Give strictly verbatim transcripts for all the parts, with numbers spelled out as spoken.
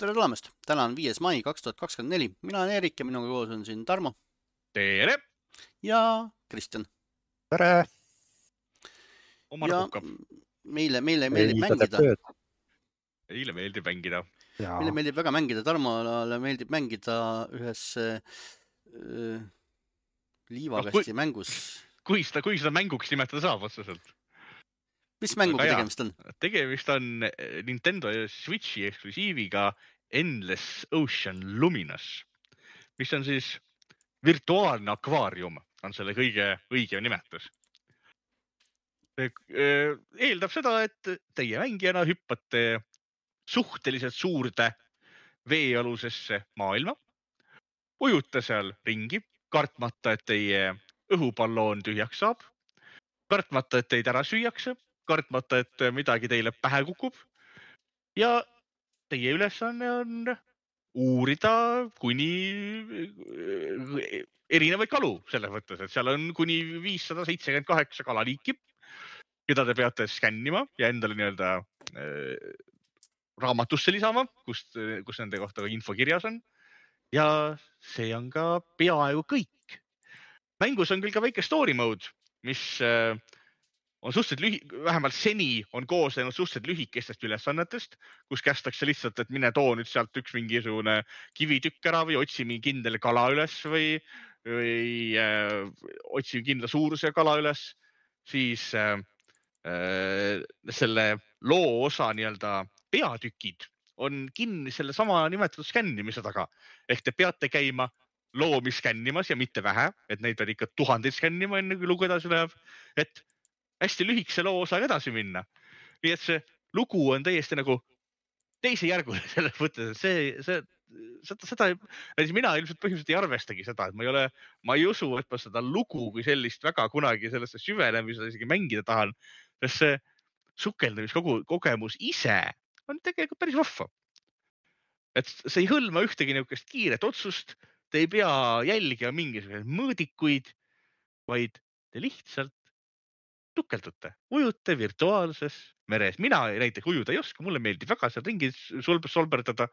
Tere tulemast! Täna on viies mai kaks tuhat kakskümmend neli. Mina olen Erik ja minuga koos on siin Tarmo. Tere! Ja Kristjan. Tere! Oma ja puhkab. meile, meile meeldib Ei, mängida. Eile meeldib mängida. Ja. Meile meeldib väga mängida. Tarmole meeldib mängida ühes äh, liivakasti No, kui- mängus. Kui seda, kui seda mänguks nimetada saab otseselt. Mis mänguga Aga tegemist on? Tegemist on Nintendo Switchi eksklusiiviga Endless Ocean Luminous, mis on siis virtuaalne akvaarium, on selle kõige õigem nimetus. Eeldab seda, et teie mängijana hüppate suhteliselt suurde veealusesse maailma, ujute seal ringi, kartmata, et teie õhupalloon tühjaks saab, kartmata, et teid ära süüakse, kartmata, et midagi teile pähe kukub ja teie ülesanne on uurida kuni erinevaid kalu selles mõttes, et seal on kuni viissada seitsekümmend kaheksa kalaliiki, keda te peate skännima ja endale nii-öelda äh, raamatusse lisama, kus, kus nende kohta info kirjas on. Ja see on ka peaaegu kõik. Mängus on küll ka väike story mode, mis äh, on suhteliselt lühi, vähemalt seni on kooslenud suhteliselt lühikestest ülesannetest, kus kästakse lihtsalt, et mine too nüüd sealt üks mingisugune kivitükk ära või otsi mingi kindel kala üles või, või äh, otsi kindla suuruse kala üles, siis äh, äh, selle loo osa nii-öelda peatükid on kinni selle sama nimetatud skännimise taga. Ehk te peate käima loomi skännimas ja mitte vähe, et neid pead ikka tuhandeid skännima enne kui lugu edasi läheb, et hästi lühikese loo osaga edasi minna. Nii et see lugu on täiesti nagu teise järgule selles mõttes, et see, see, seda, seda, mina ilmselt põhimõtteliselt ei arvestagi seda, et ma ei ole, ma ei usu, et ma seda lugu kui sellist väga kunagi sellesse süvenemisele isegi mängida tahan, sest see sukeldamiskogemus ise on tegelikult päris vahva. Et see ei hõlma ühtegi niisugust kiiret otsust, te ei pea jälgima mingisuguseid mõõdikuid, vaid te lihtsalt sukeldute, ujute virtuaalses meres. Mina näiteks ujuda ei oska, mulle meeldib väga seal ringi solberdada.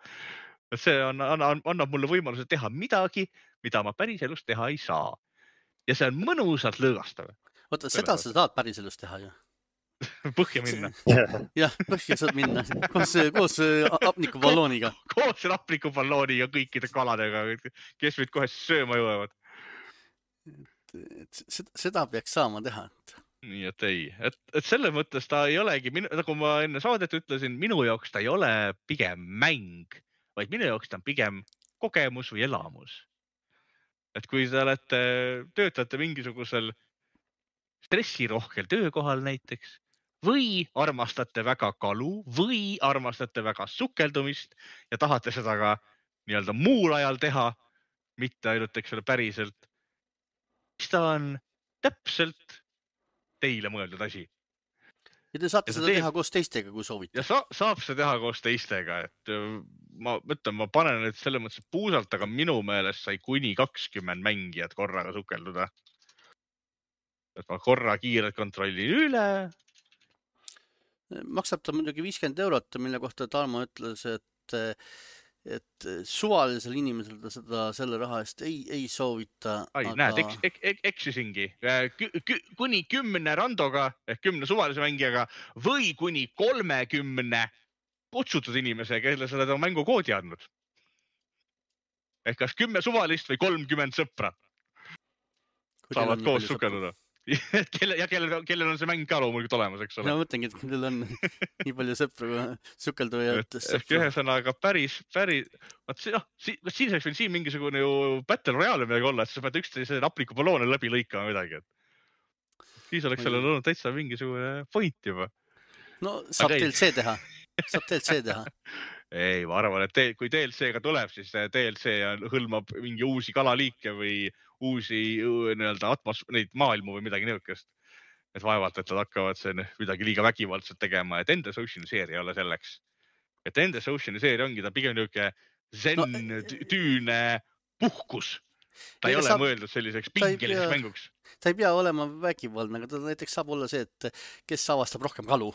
See on, annab mulle võimaluse teha midagi, mida ma päris elus teha ei saa. Ja see on mõnusalt lõõgastav. Oota, seda sa saad päris elus teha ju. Põhja minna. Jah, põhja saad minna. Koos, koos apnikuballooniga. Koos apnikuballooniga kõikide kaladega, kes meid kohe sööma jõuavad. Seda peaks saama teha. Nii et ei, et, et selle mõttes ta ei olegi, nagu ma enne saadet ütlesin, minu jaoks ta ei ole pigem mäng, vaid minu jaoks ta on pigem kogemus või elamus. Et kui te olete, töötate mingisugusel stressirohkel töökohal näiteks või armastate väga kalu või armastate väga sukeldumist ja tahate seda ka nii-öelda muul ajal teha, mitte ainult eks ole päriselt, siis ta on täpselt teile mõeldud asi. Ja te saate ja seda teeb... teha koos teistega, kui soovite. Ja sa, saab seda teha koos teistega, et ma mõtlen, ma panen nüüd selles mõttes puusalt, aga minu meelest sai kuni kakskümmend mängijat korraga sukelduda. Et ma korra kiirelt kontrollin üle. Maksab ta muidugi viiskümmend eurot, mille kohta Tarmo ütles, et et suvalisel inimesel ta seda selle raha eest ei, ei soovita. Ai, aga... näed, eks, ek, ek, eksisingi. Kü, kü, kuni kümne randoga ehk kümne suvalise mängijaga või kuni kolmekümne kutsutud inimese, kelle seda mängu koodi andnud. Ehk kas kümme suvalist või kolmkümmend sõpra saavad koos sukelduda. Kelle, ja kellel, kellel on see mäng ka loomulikult olemas, eks ole? Ma mõtlengi, et kellel on nii palju sõpru sukeldujad. Ehk ühesõnaga päris, päris, no, siin saaks veel siin mingisugune ju Battle Royale midagi olla, et sa pead üksteise apnikuballoone läbi lõikama midagi. Siis oleks sellel olnud täitsa mingisugune point juba. No saab D L C teha. Saab D L C teha. Ei, ma arvan, et te, kui D L C-ga tuleb, siis D L C hõlmab mingi uusi kalaliike või uusi nii-öelda atmos, neid maailmu või midagi niisugust. Et vaevalt, et nad hakkavad see midagi liiga vägivaldselt tegema, et Endless Ocean seeria ei ole selleks. Et Endless Ocean seeria ongi ta pigem niisugune zen no, tüüne puhkus. Ta ei ole saab, mõeldud selliseks pingeliseks pea, mänguks. Ta ei pea olema vägivaldne, aga ta näiteks saab olla see, et kes avastab rohkem kalu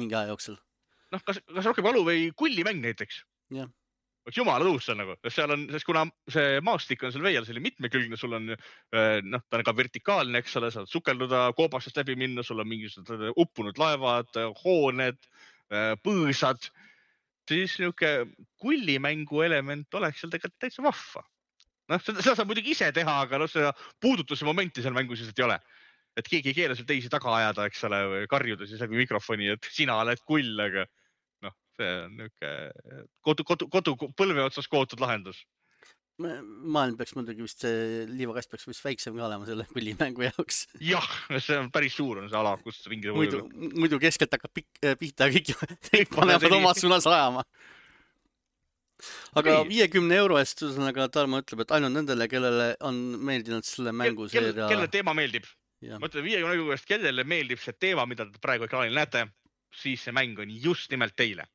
mingi aja jooksul. Noh, kas, kas rohkem kalu või kullimäng näiteks? jah. Oleks jumala tõus seal nagu, seal on, sest kuna see maastik on seal veel, see oli mitmekülgne, sul on, noh, ta on ka vertikaalne, eks ole, saad sukelduda, koobastest läbi minna, sul on mingisugused uppunud laevad, hooned, põõsad, siis niuke kullimängu element oleks seal tegelikult täitsa vahva. Noh, seda, seda saab muidugi ise teha, aga noh, seda puudutuse momenti seal mängus lihtsalt ei ole. Et keegi ei keela seal teisi taga ajada, eks ole, või karjuda siis läbi mikrofoni, et sina oled kull, aga noh, see on niuke kodu, kodu, kodu põlve otsas kootud lahendus. Maailm peaks muidugi vist, see liivakast peaks vist väiksem ka olema selle pullimängu jaoks. Jah, see on päris suur on see ala, kus ringi muidu, muidu keskelt hakkab pikk, pihta ja kõik, kõik panevad omas suunas ajama. Aga viiekümne euro eest, aga Tarmo ütleb, et ainult nendele, kellele on meeldinud selle mängu seeria. Kelle teema meeldib? Mõtle, viiekümne euro eest, kellele meeldib see teema, mida te praegu ekraanil näete, siis see mäng on just nimelt teile.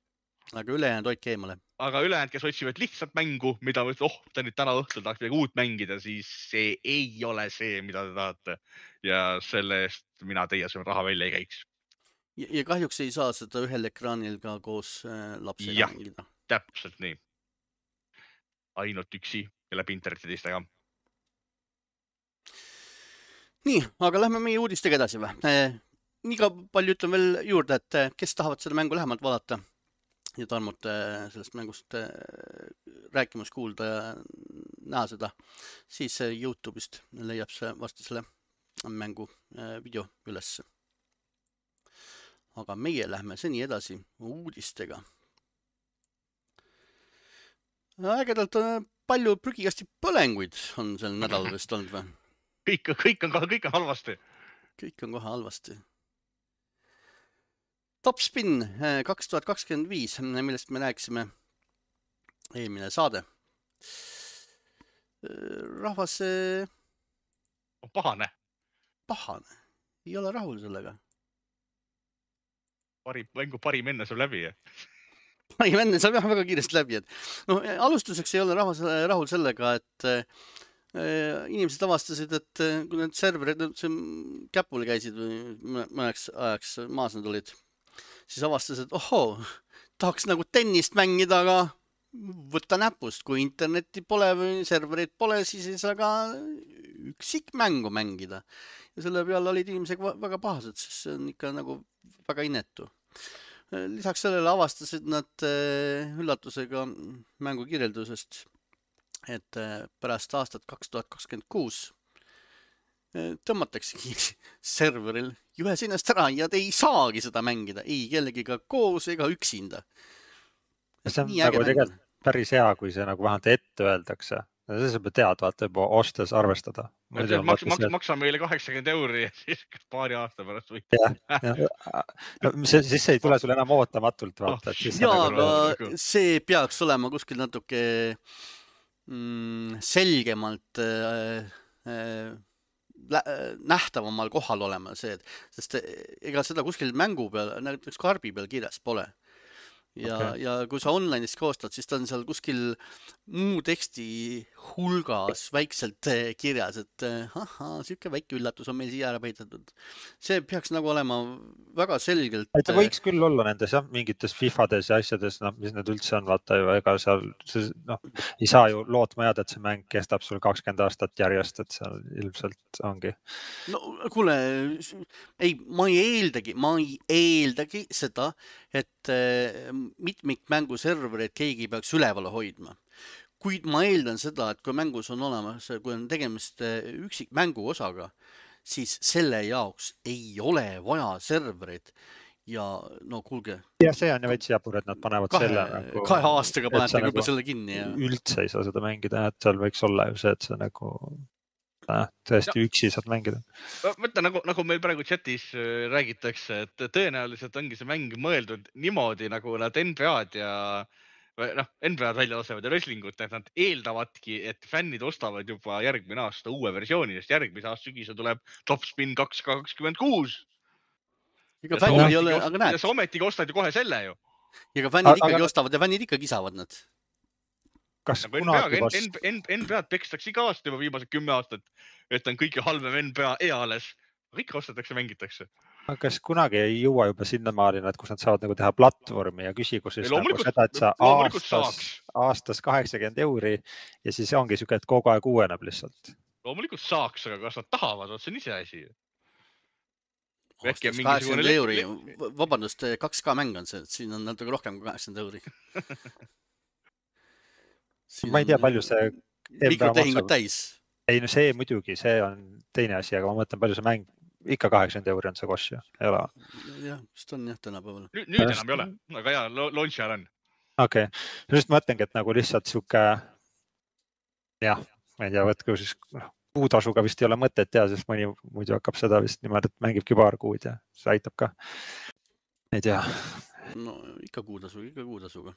Aga ülejäänud hoidke eemale. Aga ülejäänud, kes otsivad lihtsalt mängu, mida võid, oh, ta nüüd täna õhtul tahaks midagi uut mängida, siis see ei ole see, mida te tahate. Ja selle eest mina teie selle raha välja ei käiks. Ja, ja kahjuks ei saa seda ühel ekraanil ka koos lapsega ja, mängida. Täpselt nii. Ainult üksi ja läbi interneti teistega. Nii, aga lähme meie uudistega edasi või? Nii ka palju ütlen veel juurde, et kes tahavad seda mängu lähemalt vaadata ja Tarmut sellest mängust rääkimus kuulda ja näha seda, siis YouTube'ist leiab see vasti selle mängu video üles. Aga meie lähme seni edasi uudistega. Ägedalt palju prügikasti põlenguid on sel nädalal vist olnud või? Kõik, kõik, on, kõik on halvasti. Kõik on kohe halvasti. Top Spin kaks tuhat kakskümmend viis, millest me rääkisime eelmine saade. Rahvas... On pahane. Pahane. Ei ole rahul sellega. Parim, mängu parim enne saab läbi. Parim enne saab jah väga kiiresti läbi. Et, no, alustuseks ei ole rahvas rahul sellega, et inimesed avastasid, et kui need serverid käpule käisid või mõneks ajaks maas nad olid, siis avastasid, et ohoo, tahaks nagu tennist mängida, aga võtta näpust. Kui internetti pole või serverid pole, siis ei saa ka üksik mängu mängida. Ja selle peale olid inimesed väga pahased, sest see on ikka nagu väga inetu. Lisaks sellele avastasid nad üllatusega mängu kirjeldusest, et pärast aastat kaks tuhat kakskümmend kuus tõmmatakse serveril juhe sinast ära ja te ei saagi seda mängida, ei kellegiga koos ega üksinda. See on nagu tegelikult päris hea, kui see nagu vähemalt ette öeldakse. See saab tead, vaata juba ostes arvestada. Maks, maks, maksa meile kaheksakümmend euri ja siis paar aasta pärast võit. Siis see ei tule sulle enam ootamatult. Vaata, oh, ja, aga nagu... see peaks olema kuskil natuke mm, selgemalt äh, äh, nähtavamal kohal olema see, sest ega seda kuskil mängu peal, näiteks karbi peal kirjas pole. Ja, okay. ja kui sa online'is koostad, siis ta on seal kuskil muu teksti hulgas väikselt kirjas, et aha, siuke väike üllatus on meil siia ära peitatud. See peaks nagu olema väga selgelt. Ta võiks küll olla nendes jah, mingites FIFades ja asjades, no, mis need üldse on, vaata ju, ega seal no, ei saa ju lootma jääda, et see mäng kestab sul kakskümmend aastat järjest, et seal ilmselt ongi. No kuule, ei, ma ei eeldagi, ma ei eeldagi seda, et mitmikmängu servereid keegi peaks üleval hoidma. Kuid ma eeldan seda, et kui mängus on olemas, kui on tegemist üksik mängu osaga, siis selle jaoks ei ole vaja servereid. Ja no kuulge. Ja see on ju veits jabur, et nad panevad kahe, selle nagu... Kahe aastaga panete juba nagu selle kinni. Ja... Üldse ei saa seda mängida, et seal võiks olla ju see, et see nagu... tõesti ja. Üksi saad mängida. Mõtle, nagu, nagu meil praegu chatis räägitakse, et tõenäoliselt ongi see mäng mõeldud niimoodi, nagu nad N B A-d ja noh, N B A-d välja lasevad ja wrestlingut, et nad eeldavadki, et fännid ostavad juba järgmine aasta uue versiooni, sest järgmise aasta sügise tuleb Top Spin kaks tuhat kakskümmend kuus. Ega fännid ei ole, aga näed. Ja sa ometigi ostad ju kohe selle ju. Ega fännid ikkagi aga... ostavad ja fännid ikka kisavad nad. Kas N B A-d pekstakse iga aasta juba viimased kümme aastat, et on kõige halvem N B A eales. Kõik ostetakse, mängitakse. Aga kas kunagi ei jõua juba sinna maalina, et kus nad saavad nagu teha platvormi ja küsigu siis nagu seda, et sa aastas, aastas kaheksakümmend euri ja siis ongi siuke, et kogu aeg uueneb lihtsalt. Loomulikult saaks, aga kas nad tahavad, see on ise asi. Aastas kaheksakümmend euri, vabandust, kaks K mäng on see, et siin on natuke rohkem kui kaheksakümmend euri. Ma ei tea, palju see mikrotehingud täis. Ei, no see muidugi, see on teine asi, aga ma mõtlen, palju see mäng ikka kaheksakümmend euri on see koš ju, ei ole? Jah, vist on jah tänapäeval. Nüüd, nüüd enam ei ole, aga jah, launcher on. Okei, okay. Just mõtlengi, et nagu lihtsalt siuke, jah, ma ei tea, võtku siis kuutasuga vist ei ole mõtet teha, sest mõni muidu hakkab seda vist niimoodi, et mängibki paar kuud ja see aitab ka. Ei tea. No ikka kuutasu, ikka kuutasuga.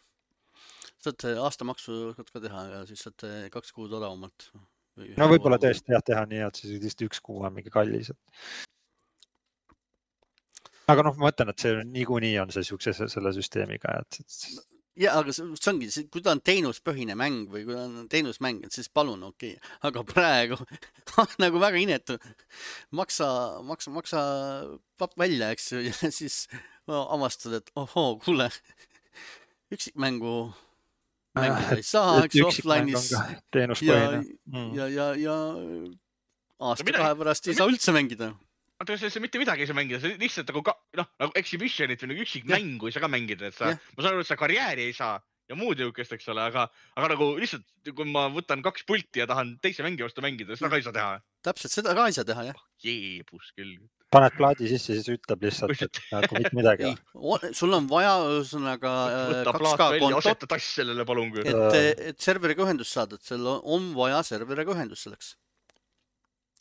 Saad aastamaksu ka teha ja siis saad kaks kuud odavamalt. No võib-olla tõesti jah teha nii, et siis vist üks kuu on mingi kallis. Aga noh, ma mõtlen, et see niikuinii on see siukse selle süsteemiga. Et... Ja, aga see ongi, kui ta on teenuspõhine mäng või kui ta on teenusmäng, siis palun, okei. Okay. Aga praegu nagu väga inetu. Maksa, maksa, maksa papp välja, eks ju, ja siis avastad, et ohoo, kuule, üksikmängu mängida ei saa, eks offline'is ja, mm. ja, ja, ja aasta kahe pärast ei saa üldse mängida. Aga see, see mitte midagi ei saa mängida, see lihtsalt nagu, no, nagu exhibitionit või nagu üksik ja. Mängu ei saa ka mängida, et sa, ma saan aru, et sa karjääri ei saa ja muud jõukest, eks ole, aga, aga nagu lihtsalt, kui ma võtan kaks pulti ja tahan teise mängi vastu mängida, seda ka ei saa teha. Täpselt, seda ka ei saa teha, jah. Jeebus küll. Paned plaadi sisse, siis ütleb lihtsalt, et nagu mitte midagi. Ei, sul on vaja ühesõnaga võtta plaat välja, aseta tass sellele palun. Et, et serveriga ühendust saada, et seal on vaja serveriga ühendust selleks.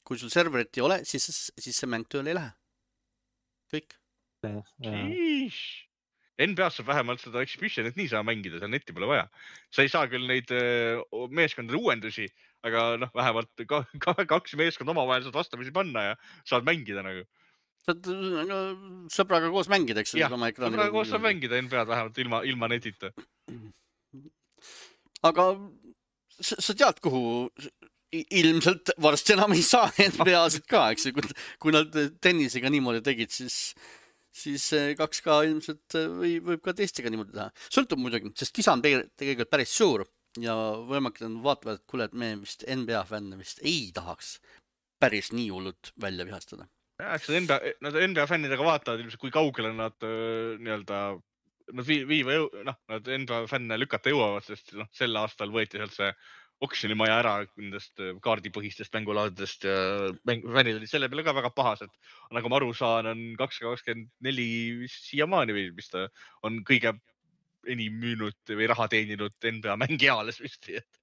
Kui sul serverit ei ole, siis, siis see mäng tööle ei lähe. Kõik. N B A-s saab vähemalt seda exhibitionit nii saa mängida, seal netti pole vaja. Sa ei saa küll neid meeskondade uuendusi, aga noh, vähemalt kaks meeskond omavahel saad vastamisi panna ja saad mängida nagu. Saad sõbraga koos mängida, eks? Jah, sõbraga koos saab mängida N B A-d vähemalt ilma, ilma netita. Aga sa tead, kuhu ilmselt varsti enam ei saa N B A-sid ka, eks? Kui, kui nad tennisega niimoodi tegid, siis, siis kaks K ilmselt või, võib ka teistega niimoodi teha. Sõltub muidugi, sest kisa on tegelikult päris suur ja võimalik on vaatavad, et kuule, et me vist N B A fänne vist ei tahaks päris nii hullult välja vihastada. Ja, eks N B A, nad N B A fännidega vaatavad ilmselt, kui kaugele nad nii-öelda nad viiva, noh, nad N B A fänne lükata jõuavad, sest noh, sel aastal võeti sealt see oksjonimaja ära nendest kaardipõhistest mängulaadidest ja fännid olid selle peale ka väga pahased. Nagu ma aru saan, on kaks tuhat kakskümmend neli siiamaani või mis ta on kõige enim müünud või raha teeninud N B A mängijaales vist. Et,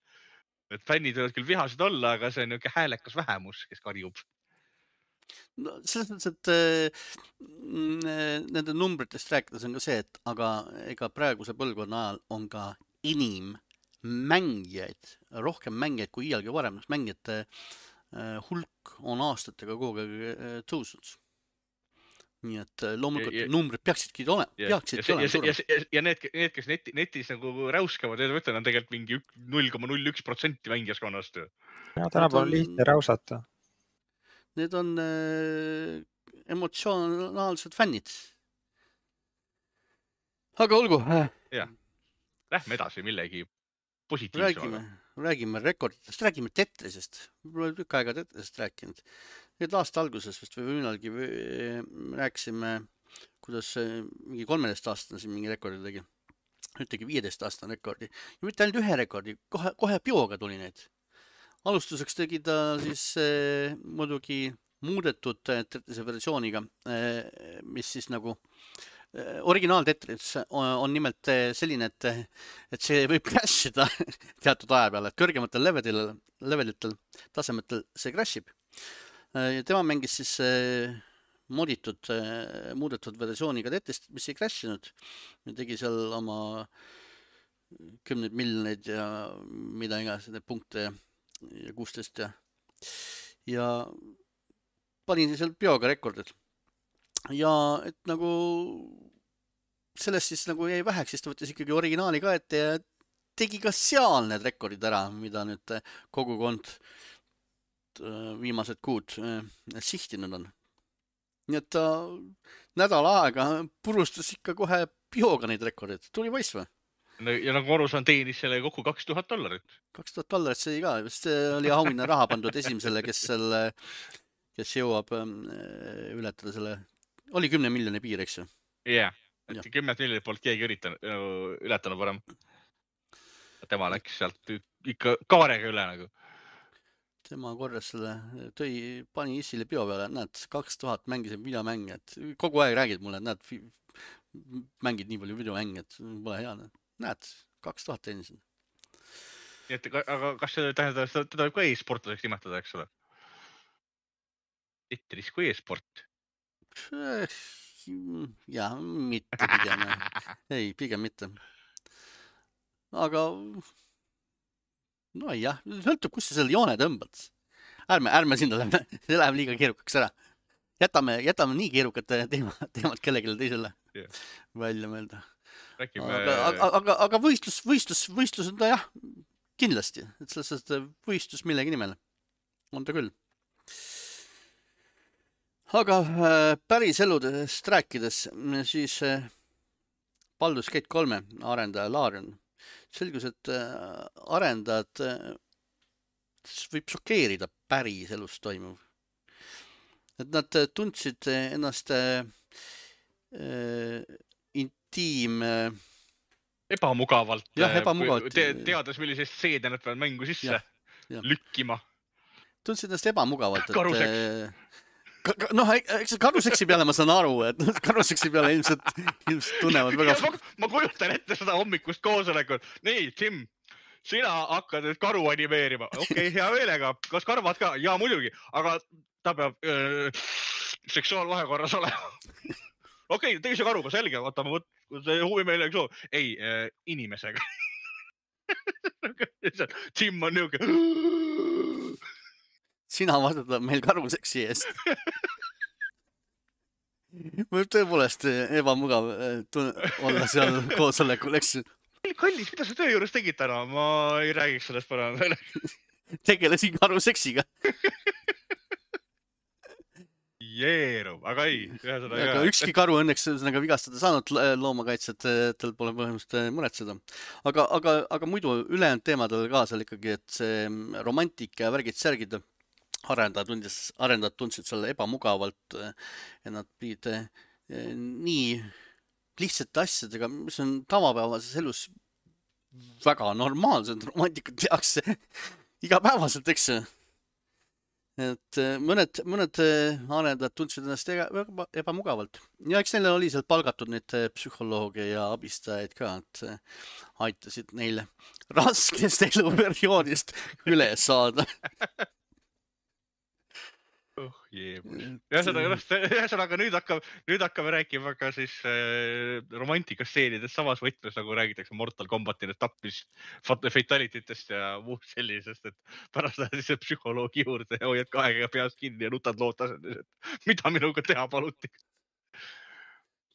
et fännid võivad küll vihased olla, aga see on niisugune häälekas vähemus, kes karjub. No, selles mõttes, et äh, nende numbritest rääkides on ka see, et aga ega praeguse põlvkonna ajal on ka inim mängijaid, rohkem mängijaid kui iialgi varem. Mängijate äh, hulk on aastatega kogu aeg äh, tõusnud. Nii et äh, loomulikult ja, ja, numbrid peaksidki ole, peaksidki ja, olema ja, ja, ja need, need, kes neti, netis nagu räuskavad, need võtlen on tegelikult mingi null koma null üks protsenti mängijaskonnast. Ja tänapäeval on lihtne räusata. Need on äh, emotsionaalsed fännid. Aga olgu. Äh. Ja. Lähme edasi millegi räägime, räägime rekorditest, räägime Tetrisest. Mul oli tükk aega Tetrisest rääkinud. Nüüd aasta alguses vist või millalgi rääkisime, kuidas mingi kolmeteist aastane siin mingi rekordi tegi. Nüüd tegi viieteist aastane rekordi. Ja mitte ainult ühe rekordi, kohe, kohe bioga tuli neid. Alustuseks tegi ta siis eh, muidugi muudetud Tetrise versiooniga, eh, mis siis nagu originaal Tetris on, on nimelt selline, et, et see võib crashida teatud aja peale, et kõrgematel levelitel, levelitel tasemetel see crashib. Ja tema mängis siis moditud, muudetud versiooniga Tetrist, mis ei crashinud. Ja tegi seal oma kümneid miljoneid ja mida iganes, need punkte ja kuusteist ja, ja panin seal bioga rekordid. Ja et nagu sellest siis nagu jäi väheks, siis ta võttis ikkagi originaali ka ette ja tegi ka seal need rekordid ära, mida nüüd kogukond viimased kuud sihtinud on. nii et ta nädal aega purustas ikka kohe pihoga neid rekordeid. Tuli poiss või? Ja nagu aru saan, teenis selle kokku kaks tuhat dollarit. kaks tuhat dollarit see ka. See oli auhinna raha pandud esimesele, kes selle, kes jõuab ületada selle, oli kümne miljoni piir, eks ju? Jah, yeah. et kümmet miljonit poolt keegi üritanud, ületanud varem. Tema läks sealt ikka kaarega üle nagu. Tema korras selle tõi, pani Issile pio peale, näed, kaks tuhat mängisid videomänge, et kogu aeg räägid mulle, et näed, mängid nii palju videomänge, et pole hea. Näed, kaks tuhat teenisid. Nii et, aga kas see tähendab, teda võib ka e-sportlaseks nimetada, eks ole? Tetris kui e-sport? Jah, mitte pigem. Ei, pigem mitte. Aga no jah, sõltub, kus sa selle joone tõmbad. Ärme, ärme sinna lähme, see läheb liiga keerukaks ära. Jätame, jätame nii keerukad teema, teemad kellegile teisele yeah. välja mõelda. Räägime... Aga, aga, aga, aga võistlus, võistlus, võistlus on ta jah, kindlasti. Et sellest võistlus millegi nimel on ta küll. Aga päris eludest rääkides, siis Baldur's Gate kolme arendaja Larian selgus, et arendajad võib šokeerida päris elus toimuv. Et nad tundsid ennast äh, intiim... Ebamugavalt. Jah, ebamugavalt. Te, teades, millisest seede nad peavad mängu sisse ja, ja. lükkima. Tundsid ennast ebamugavalt. Et, karuseks. Noh, eks karuseksi peale ma saan aru, et karuseksi peale ilmselt, ilmselt tunnevad väga... Ma, ma kujutan ette seda hommikust koosolekut. Nii, Tim, sina hakkad nüüd karu animeerima. Okei, okay, hea meelega. Kas karvad ka? Jaa, muidugi. Aga ta peab öö, seksuaalvahekorras olema. Okei, okay, teise karuga, selge. Vaata, ma võt, see huvi meile üks soov. Ei, öö, inimesega. Tim on niuke... Sina vastutab meil karuseksi eest. Võib tõepoolest ebamugav olla seal koosolekul, eks? Kallis, mida sa töö juures tegid täna? Ma ei räägiks sellest parem. Tegelesin karuseksiga. Jeerub, aga ei. Aga ükski karu õnneks vigastada saanud loomakaitset, tal pole põhimust muretseda. Aga, aga, aga muidu ülejäänud teemadel ka seal ikkagi, et see romantika ja värgid särgid arendajad tundis, arendajad tundsid selle ebamugavalt ja nad pidid nii lihtsate asjadega, mis on tavapäevases elus väga normaalsed, romantikud tehakse igapäevaselt, eks. Et mõned, mõned arendajad tundsid ennast ebamugavalt. Ja eks neile oli seal palgatud neid psühholooge ja abistajaid ka, et aitasid neile raskest eluperioodist üle saada. Oh, ühesõnaga nüüd hakkab, nüüd hakkame rääkima ka siis äh, romantikastseenidest samas võtmes, nagu räägitakse Mortal Kombatile tappist, fatalititest ja muud sellisest, et pärast lähed siis psühholoogi juurde ja hoiad kahega peast kinni ja nutad lootasendes, et mida minuga teha paluti.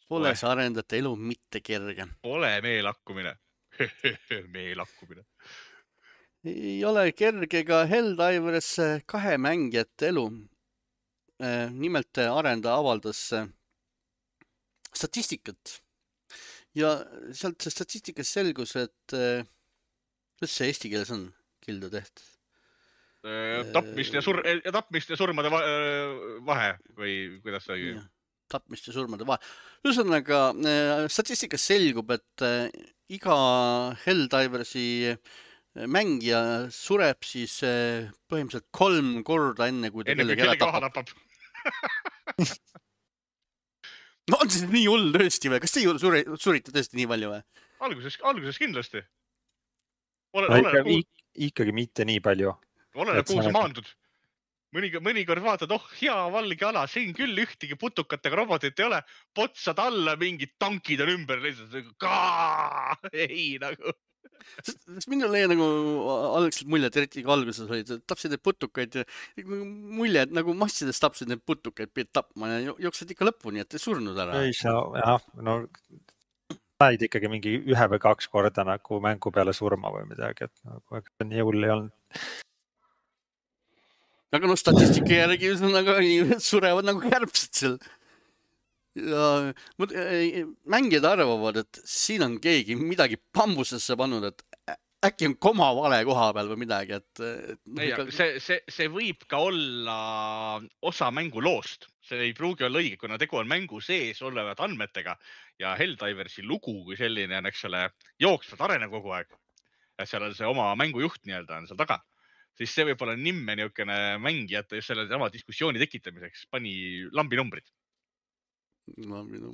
Pole see arendajate elu mitte kerge. Pole meelakkumine. meelakkumine. Ei ole kerge ka Helldivers kahe mängijate elu. Nimelt arendaja avaldas statistikat ja sealt statistikas selgus, et kuidas see eesti keeles on kildu tehtud? Tapmist ja, sur ja tapmist ja surmade vahe või kuidas see oli? Tapmist ja surmade vahe. Ühesõnaga, statistikas selgub, et iga Helldiversi mängija sureb siis põhimõtteliselt kolm korda enne, kui ta enne, kellegi ära tapab. tapab. No on see nii hull tõesti või? Kas te suri, surite tõesti nii palju või? Alguses, alguses kindlasti. Ole, no, ole, ikkagi, ikkagi mitte nii palju. Oleneb, kuhu sa maandud. Mõni, mõnikord vaatad, oh, hea valge ala, siin küll ühtegi putukatega robotit ei ole. Potsad alla, mingid tankid on ümber. Kaa! Ei, nagu... Minul ei nagu algselt mulje, et eriti alguses olid, tapsid need putukaid ja mulje, et nagu massidest tapsid need putukaid, pidid tapma ja jooksed ikka lõpuni, et ei surnud ära. Ei saa, jah, no said ikkagi mingi ühe või kaks korda nagu mängu peale surma või midagi, et nagu nii hull ei olnud. Aga no statistika järgi nagu surevad nagu kärbsed seal. ja mut- ei, mängijad arvavad, et siin on keegi midagi bambusesse pannud, et ä- äkki on koma vale koha peal või midagi, et, et noh, ei, ikka, aga see, see, see võib ka olla osa mänguloost. See ei pruugi olla õige, kuna tegu on mängu sees olevad andmetega ja Helldiversi lugu kui selline on, eks ole, jooksvalt areneb kogu aeg. Et seal on see oma mängujuht nii-öelda on seal taga. Siis see võib olla nimme niisugune mängijate just selle sama diskussiooni tekitamiseks pani lambinumbrid. no, minu,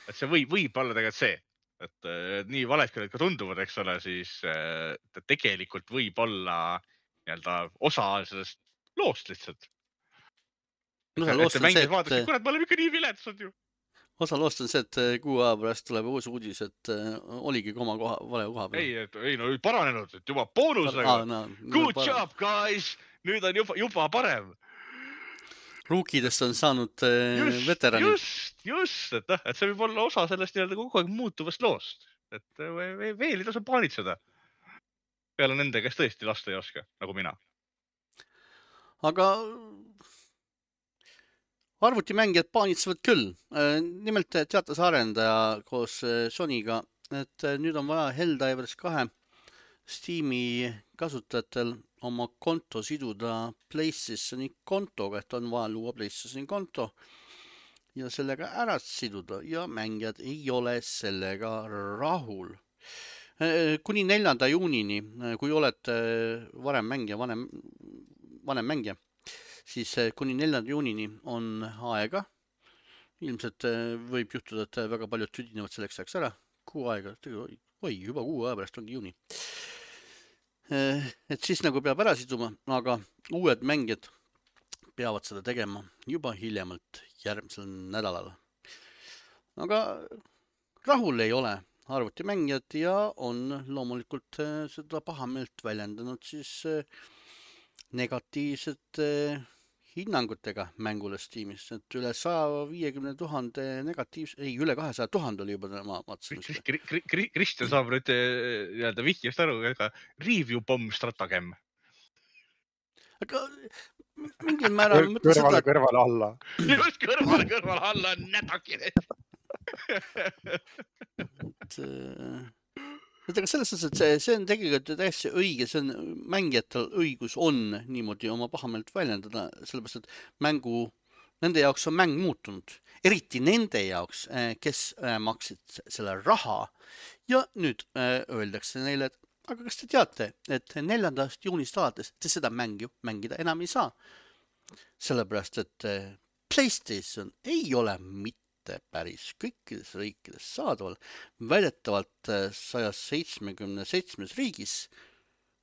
Et see võib, võib olla tegelikult see, et äh, nii valed, kui need ka tunduvad, eks ole, siis äh, ta tegelikult võib olla nii-öelda osa sellest loost lihtsalt. osa Et loost see on see, mängijad vaadasid, et kurat, me oleme ikka nii viletsad ju. osa loost on see, et kuu aja pärast tuleb uus uudis, et äh, oligi koma koha, vale koha peal. Ei, et, ei no paranenud, et juba boonusega. Aa, no, Good parem. job, guys! Nüüd on juba, juba parem. Ruukidest on saanud äh, Just, veteranid. just, just, et, noh, et see võib olla osa sellest nii-öelda kogu aeg muutuvast loost. Et äh, ve- ve- veel ei tasu paanitseda. Peale nende, kes tõesti lasta ei oska, nagu mina. Aga arvutimängijad paanitsevad küll. Äh, Nimelt teatas arendaja koos äh, Sonyga, et äh, nüüd on vaja Helldivers kahe Steam'i kasutajatel oma konto siduda PlayStationi kontoga, et on vaja luua PlayStationi konto ja sellega ära siduda ja mängijad ei ole sellega rahul. Äh, Kuni neljanda juunini, äh, kui olete varem mängija, vanem, vanem mängija, siis äh, kuni neljanda juunini on aega. Ilmselt äh, võib juhtuda, et väga paljud tüdinevad selleks ajaks ära. Kuu aega, oi, oi, juba kuu aja pärast ongi juuni. Äh, Et siis nagu peab ära siduma, aga uued mängijad peavad seda tegema juba hiljemalt järgmisel nädalal. Aga rahul ei ole arvutimängijad ja on loomulikult äh, seda pahameelt väljendanud siis äh, negatiivsete hinnangutega mängule Steamis, et üle saja viiekümne tuhande negatiivse, ei, üle kahesaja tuhande oli juba, ma vaatasin. Kri- Kri- Kri- Kristjan saab nüüd äh, nii-öelda vihjast aru, aga review bomb stratagem. Aga mingil määral ma mõtlen kõrvale, seda, kõrvale alla. Just kõrvale, kõrvale alla on nädakine. et, et aga selles suhtes, et see, see on tegelikult täiesti õige, see on mängijatel õigus on niimoodi oma pahameelt väljendada, sellepärast, et mängu, nende jaoks on mäng muutunud, eriti nende jaoks, kes maksid selle raha ja nüüd öeldakse neile, et aga kas te teate, et neljandast juunist alates te seda mängu mängida enam ei saa, sellepärast, et PlayStation ei ole mitte päris kõikides riikides saadaval, väidetavalt saja seitsmekümne seitsmes riigis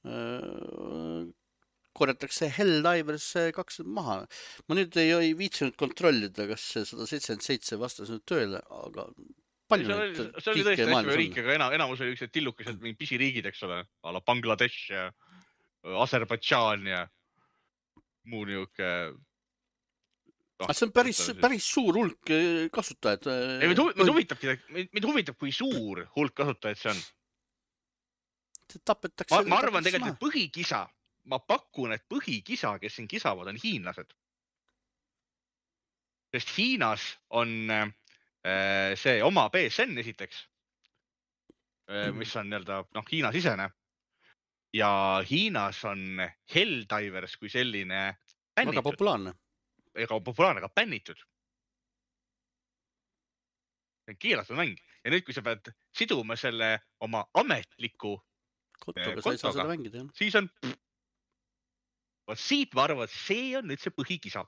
äh, korjatakse Helldivers kaks maha. Ma nüüd ei, ei viitsinud kontrollida, kas see sada seitsekümmend seitse vastas nüüd tööle, aga palju see oli, neid see oli tõesti riike hästi maailmas riik, aga enam, enamus oli üksteid tillukesed mingid pisiriigid, eks ole, a la Bangladesh ja Aserbaidžaan ja muu niuke. Ah, see on päris, päris suur hulk kasutajad. Ei, mind, hu mind, huvitabki, mind huvitab, kui suur hulk kasutajaid see on. Tapetakse, ma, ma arvan tegelikult, et põhikisa, ma pakun, et põhikisa, kes siin kisavad, on hiinlased. Sest Hiinas on äh, see oma P S N esiteks, äh, mis on nii-öelda noh, Hiina sisene. Ja Hiinas on Helldivers kui selline väga populaarne. Ega populaarne, aga bännitud. See on keelatud mäng. Ja nüüd, kui sa pead siduma selle oma ametliku kontoga, sa ei saa seda mängida. Siis on, vaat siit ma arvan, et see on nüüd see põhikisa.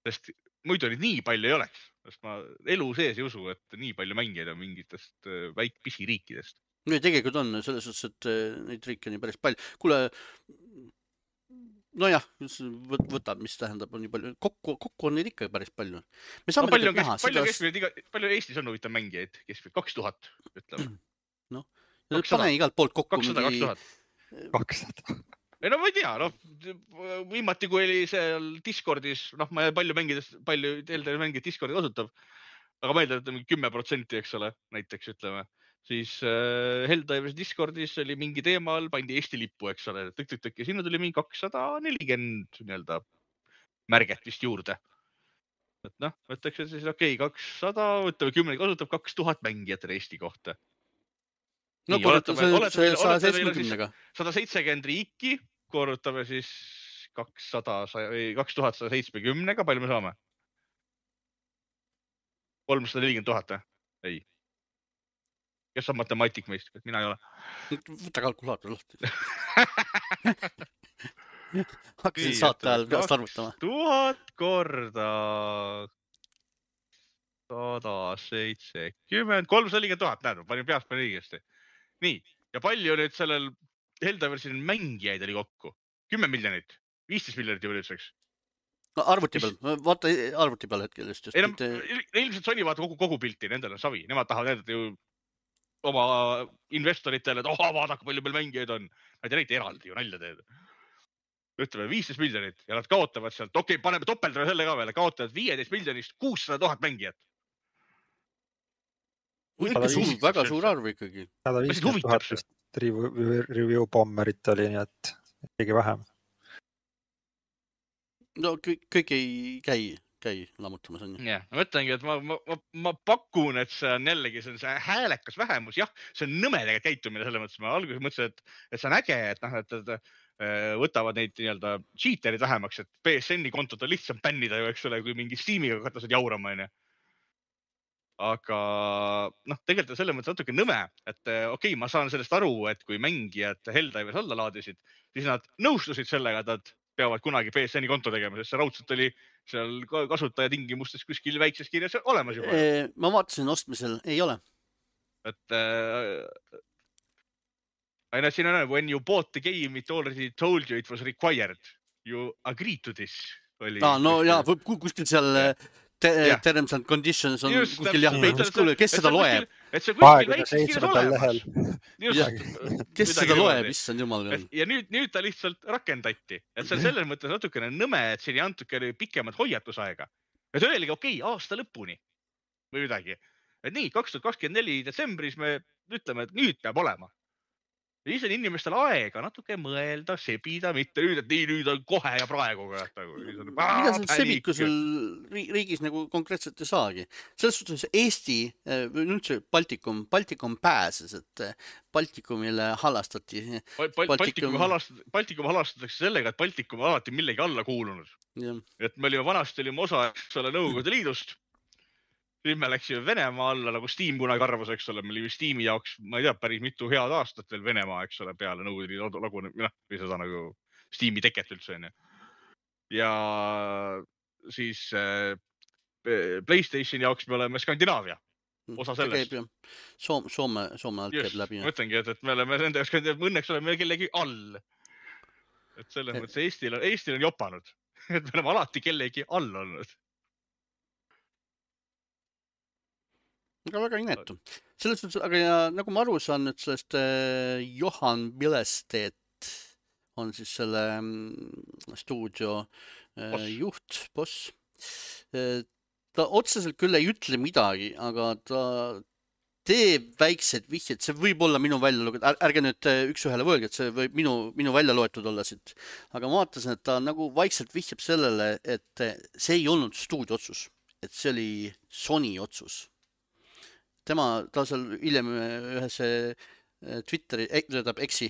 Sest muidu nüüd nii palju ei oleks. Sest ma elu sees ei usu, et nii palju mängijaid on mingitest väik pisiriikidest. No tegelikult on selles suhtes, et neid riike on nii päris palju. Kuule, no jah, võtab, mis tähendab, on nii palju. Kokku, kokku on neid ikka päris palju. Me saame no, palju, näha, palju, seda... iga, palju Eestis on huvitav mängijaid? Keskmiselt kaks tuhat, ütleme. No, pane igalt poolt kokku. kakssada, kakssada. kakssada. Ei, no ma ei tea, noh, viimati, kui oli seal Discordis, noh, ma palju mängidest, palju Helldivers mängijad Discordi kasutab, aga ma eeldan, et mingi kümme protsenti, eks ole, näiteks ütleme. Siis äh, Helldivers Discordis oli mingi teemal, pandi Eesti lippu, eks ole, tõk-tõk-tõk ja sinna tuli mingi kakssada nelikümmend nii-öelda märget vist juurde. et noh, võtakse siis okei, okay, kakssada, võtame kümme kasutab kaks tuhat mängijat Eesti kohta. no Nii, korruta oletame, see oletame, sada oletame, meil on siis seitsmekümnega. sada seitsekümmend riiki, korrutame siis kakssada, kaks tuhat sada seitsmekümnega, palju me saame? kolmsada nelikümmend tuhat, ei. Kes on matemaatik meist? Mina ei ole. Võta kalkulaator lahti. Hakkasin saate ajal peast arvutama. Tuhat korda sada seitsekümmend, kolmsada nelikümmend tuhat, näed, panin peast panin õigesti. Nii, ja palju nüüd sellel Heldaversil mängijaid oli kokku? kümme miljonit, viisteist miljonit juba nüüdseks. No, arvuti peal, vaata arvuti peal hetkel just. just ei, no, ilmselt Sony vaata kogu, kogu pilti, nendel on savi, nemad tahavad näidata ju oma investoritele, et oh, vaadake, palju meil mängijaid on. Nad ei näita eraldi ju nalja teed. Ütleme viisteist miljonit ja nad kaotavad sealt, okei, okay, paneme topeldra selle ka veel, kaotavad viieteist miljonist kuussada tuhat mängijat. Väga suur, väga suur arv ikkagi. sada viiskümmend tuhat vist review bomberit oli, nii et keegi vähem. No kõik, kõik ei käi, käi lammutamas on ju. Ja, ma mõtlengi, et ma, ma, ma, ma pakun, et see on jällegi see, on see häälekas vähemus. Jah, see on nõmedega käitumine selles mõttes. Ma alguses mõtlesin, et, et see on äge, et, noh, et, et võtavad neid nii-öelda cheaterid vähemaks, et P S N-i kontot on lihtsam bännida ju, eks ole, kui mingi Steamiga katased jaurama. Aga noh, tegelikult on selles mõttes natuke nõme, et okei, okay, ma saan sellest aru, et kui mängijad Helldivers alla laadisid, siis nad nõustusid sellega, et nad peavad kunagi P S N-i konto tegema, sest see raudselt oli seal kasutaja tingimustes kuskil väikses kirjas olemas juba. E, ma vaatasin ostmisel, ei ole. Et äh, aina siin on, when you bought the game, it already told you it was required. You agreed to this. Oli no, no ja, kuskil seal te, terms and conditions on just, kuskil jah peitus kuule, kes seda loeb? kahekümne seitsmendal lehel. Kes seda loeb, issand jumal. Ja nüüd, nüüd ta lihtsalt rakendati. Et see on selles mõttes natukene nõme, et siin ei antukene pikemad hoiatusaega. Et öelge, okei, okay, aasta lõpuni või midagi. Et nii, kaks tuhat kakskümmend neli detsembris me ütleme, et nüüd peab olema. Ja siis on inimestel aega natuke mõelda, sebida, mitte nüüd, et nii, nüüd on kohe ja praegu. Mida seal sebikusel riigis nagu konkreetselt ei saagi. Selles suhtes Eesti, üldse Baltikum, Baltikum pääses, et Baltikumile halastati. Baltikum Baltikum halastatakse sellega, et Baltikum on alati millegi alla kuulunud. Ja. Et me olime vanasti olime osa selle Nõukogude Liidust. Nüüd me läksime Venemaa alla, nagu Steam kunagi arvas, eks ole, me olime Steam'i jaoks, ma ei tea, päris mitu head aastat veel Venemaa, eks ole, peale Nõukogude Liidu lagu, noh, või seda nagu Steam'i teket üldse. Ja siis äh, PlayStationi jaoks me oleme Skandinaavia, osa sellest. Soome, Soome, Soome alt käib läbi. Ma mõtlengi, et, et me oleme nende jaoks, õnneks oleme kellegi all. Et selles mõttes Eestil on, Eestil on jopanud, et me oleme alati kellegi all olnud. Aga väga inetu. Selles suhtes, aga ja, nagu ma aru saan nüüd sellest äh, Johan Billestedt on siis selle mm, stuudio äh, juht, boss. Äh, ta otseselt küll ei ütle midagi, aga ta teeb väiksed vihjed. See võib olla minu välja loetud. Ärge nüüd üks ühele võelge, et see võib minu, minu välja loetud olla siit. Aga ma vaatasin, et ta nagu vaikselt vihjab sellele, et see ei olnud stuudio otsus. Et see oli Sony otsus. Tema, ta seal hiljem ühes Twitteri, tähendab Exi,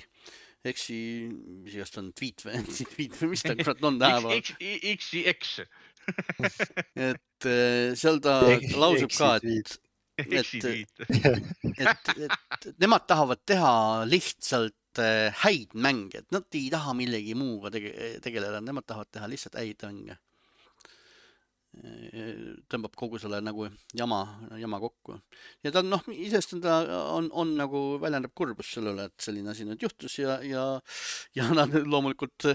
Exi, mis igast on tweet või, tweet või mis ta kurat on täheva. Exi X. Et seal ta lausub ka, et, et, et, et nemad tahavad teha lihtsalt häid mänge, et nad ei taha millegi muuga tege, tegeleda, nemad tahavad teha lihtsalt häid mänge. Tõmbab kogu selle nagu jama, jama kokku. Ja ta noh, isest ta on, on nagu väljendab kurbus sellele, et selline asi nüüd juhtus ja, ja, ja nad loomulikult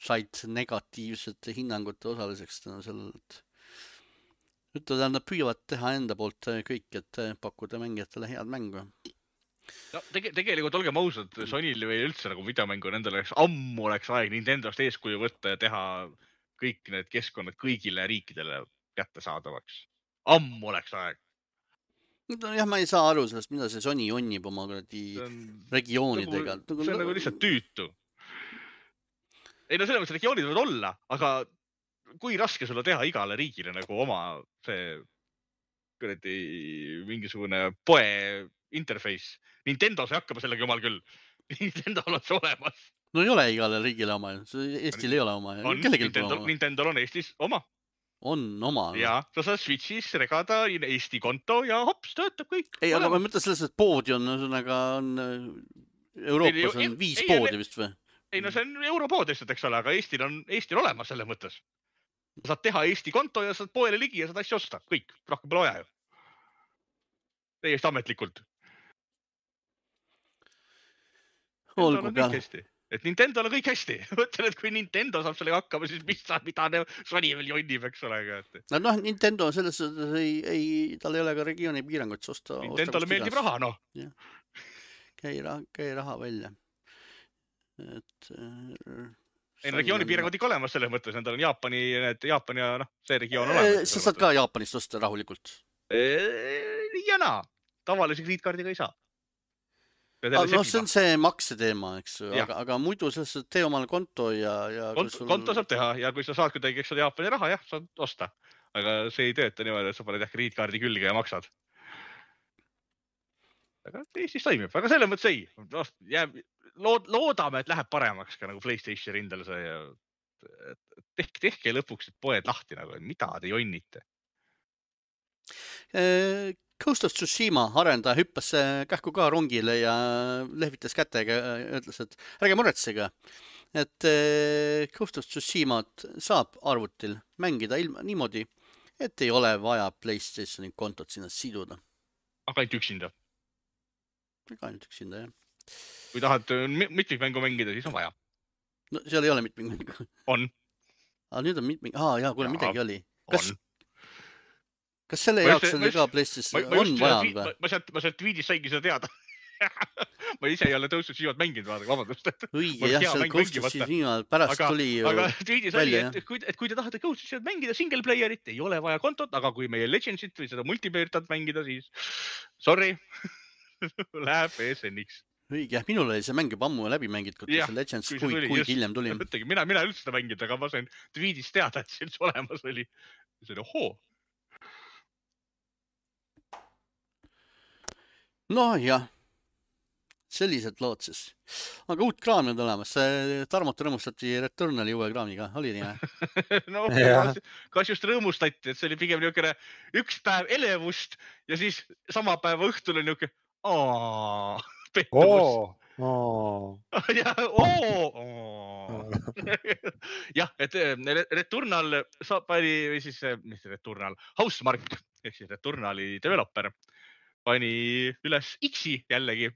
said negatiivsete hinnangute osaliseks sellele, et ütlevad, et nad püüavad teha enda poolt kõik, et pakkuda mängijatele head mängu. No, tege, tegelikult olgem ausad, Sonyl või üldse nagu videomängu nendel oleks ammu oleks aeg Nintendost eeskuju võtta ja teha kõik need keskkonnad kõigile riikidele kättesaadavaks. Ammu oleks aeg. No, jah, ma ei saa aru sellest, mida see Sony onnib oma regioonidega. Nagu, see on nagu lihtsalt tüütu. Ei no selle mõttes regioonid võivad olla, aga kui raske sulle teha igale riigile nagu oma see kuradi mingisugune poe interface. Nintendos hakkab sellega jumal küll. Nintendol on see olemas. No ei ole igale riigile oma. Eestil ei ole oma. On, Nintendo, Nintendol on Eestis oma. On oma. Ja, sa saad Switchis regada Eesti konto ja hops, töötab kõik. Ei, aga ma mõtlen selles, et poodi on, ühesõnaga on Euroopas on viis ei, poodi vist või? Ei, no see on europood lihtsalt, eks ole, aga Eestil on Eestil olemas selle mõttes. Sa saad teha Eesti konto ja saad poele ligi ja saad asja osta. Kõik, rohkem pole vaja ju. Täiesti ametlikult. Olgu peale. Et Nintendol on kõik hästi. Mõtlen, et kui Nintendo saab sellega hakkama, siis mis saab, mida Sony veel jonnib, eks ole. No, noh, Nintendo selles ei, ei, tal ei ole ka regiooni piirangut osta. Nintendole meeldib raha, noh. Käi raha, käi raha välja. Et... Ei, regiooni piirangud ikka olemas selles mõttes. Nendel on Jaapani, need Jaapani ja noh, see regioon olemas. Sa saad ka Jaapanist osta rahulikult? Ja naa. Tavalise krediitkaardiga ei saa. Ah, no see on see makse teema, eks, aga, aga muidu selles tee omal konto ja... ja konto, sul... konto saab teha ja kui sa saad kuidagi, eks ole, Jaapani raha, jah, saad osta. Aga see ei tööta niimoodi, et sa paned jah krediitkaardi külge ja maksad. Aga Eestis toimib, aga selle mõttes ei. No, jääb, lood, loodame, et läheb paremaks ka nagu PlayStation rindel see ja tehke, tehke lõpuks poed lahti, nagu, mida te jonnite. E Ghost of Tsushima arendaja hüppas kähku ka rongile ja lehvitas kätega ja ütles, et ärge muretsege, et Ghost of Tsushimat saab arvutil mängida ilma niimoodi, et ei ole vaja PlayStationi kontot sinna siduda. Aga ainult üksinda? Aga ainult üksinda, jah. Kui tahad mitmikmängu mängida, siis on vaja. No seal ei ole mitmikmängu. On. Aga nüüd on mitmik... Aa, jaa, kuule, midagi oli. Kas... On. Kas selle jaoks on ka PlayStation on vaja või? Ma sealt, ma sealt tweetis saingi seda teada. Ma ise ei ole Ghost of Tsushimat mänginud, vaadake, vabandust. Õige, jah, seal Ghost of Tsushimat pärast aga, tuli aga tweetis oli, et, et, kui, et kui te tahate Ghost of Tsushimat mängida single playerit, ei ole vaja kontot, aga kui meie Legendsit või seda multiplayerit tahad mängida, siis sorry, läheb E S N-iks. Õige, jah, minul oli see mäng juba ammu läbi mängitud, kui see Legends kui, kui, kui hiljem tuli. Mõttegi, mina, mina üldse seda mängida, aga ma sain tweetis teada, et see üldse olemas oli. See oli ohoo. No jah, sellised lood siis. Aga uut kraami on olemas. Tarmot rõõmustati Returnali uue kraamiga. Oli nii? No, kas, kas just rõõmustati, et see oli pigem niisugune üks päev elevust ja siis sama päeva õhtul on niisugune aaa, pettumus. Ja, jah, et Returnal pani, või siis, mis Returnal, Housemarque, ehk siis Returnali developer pani üles X-i jällegi,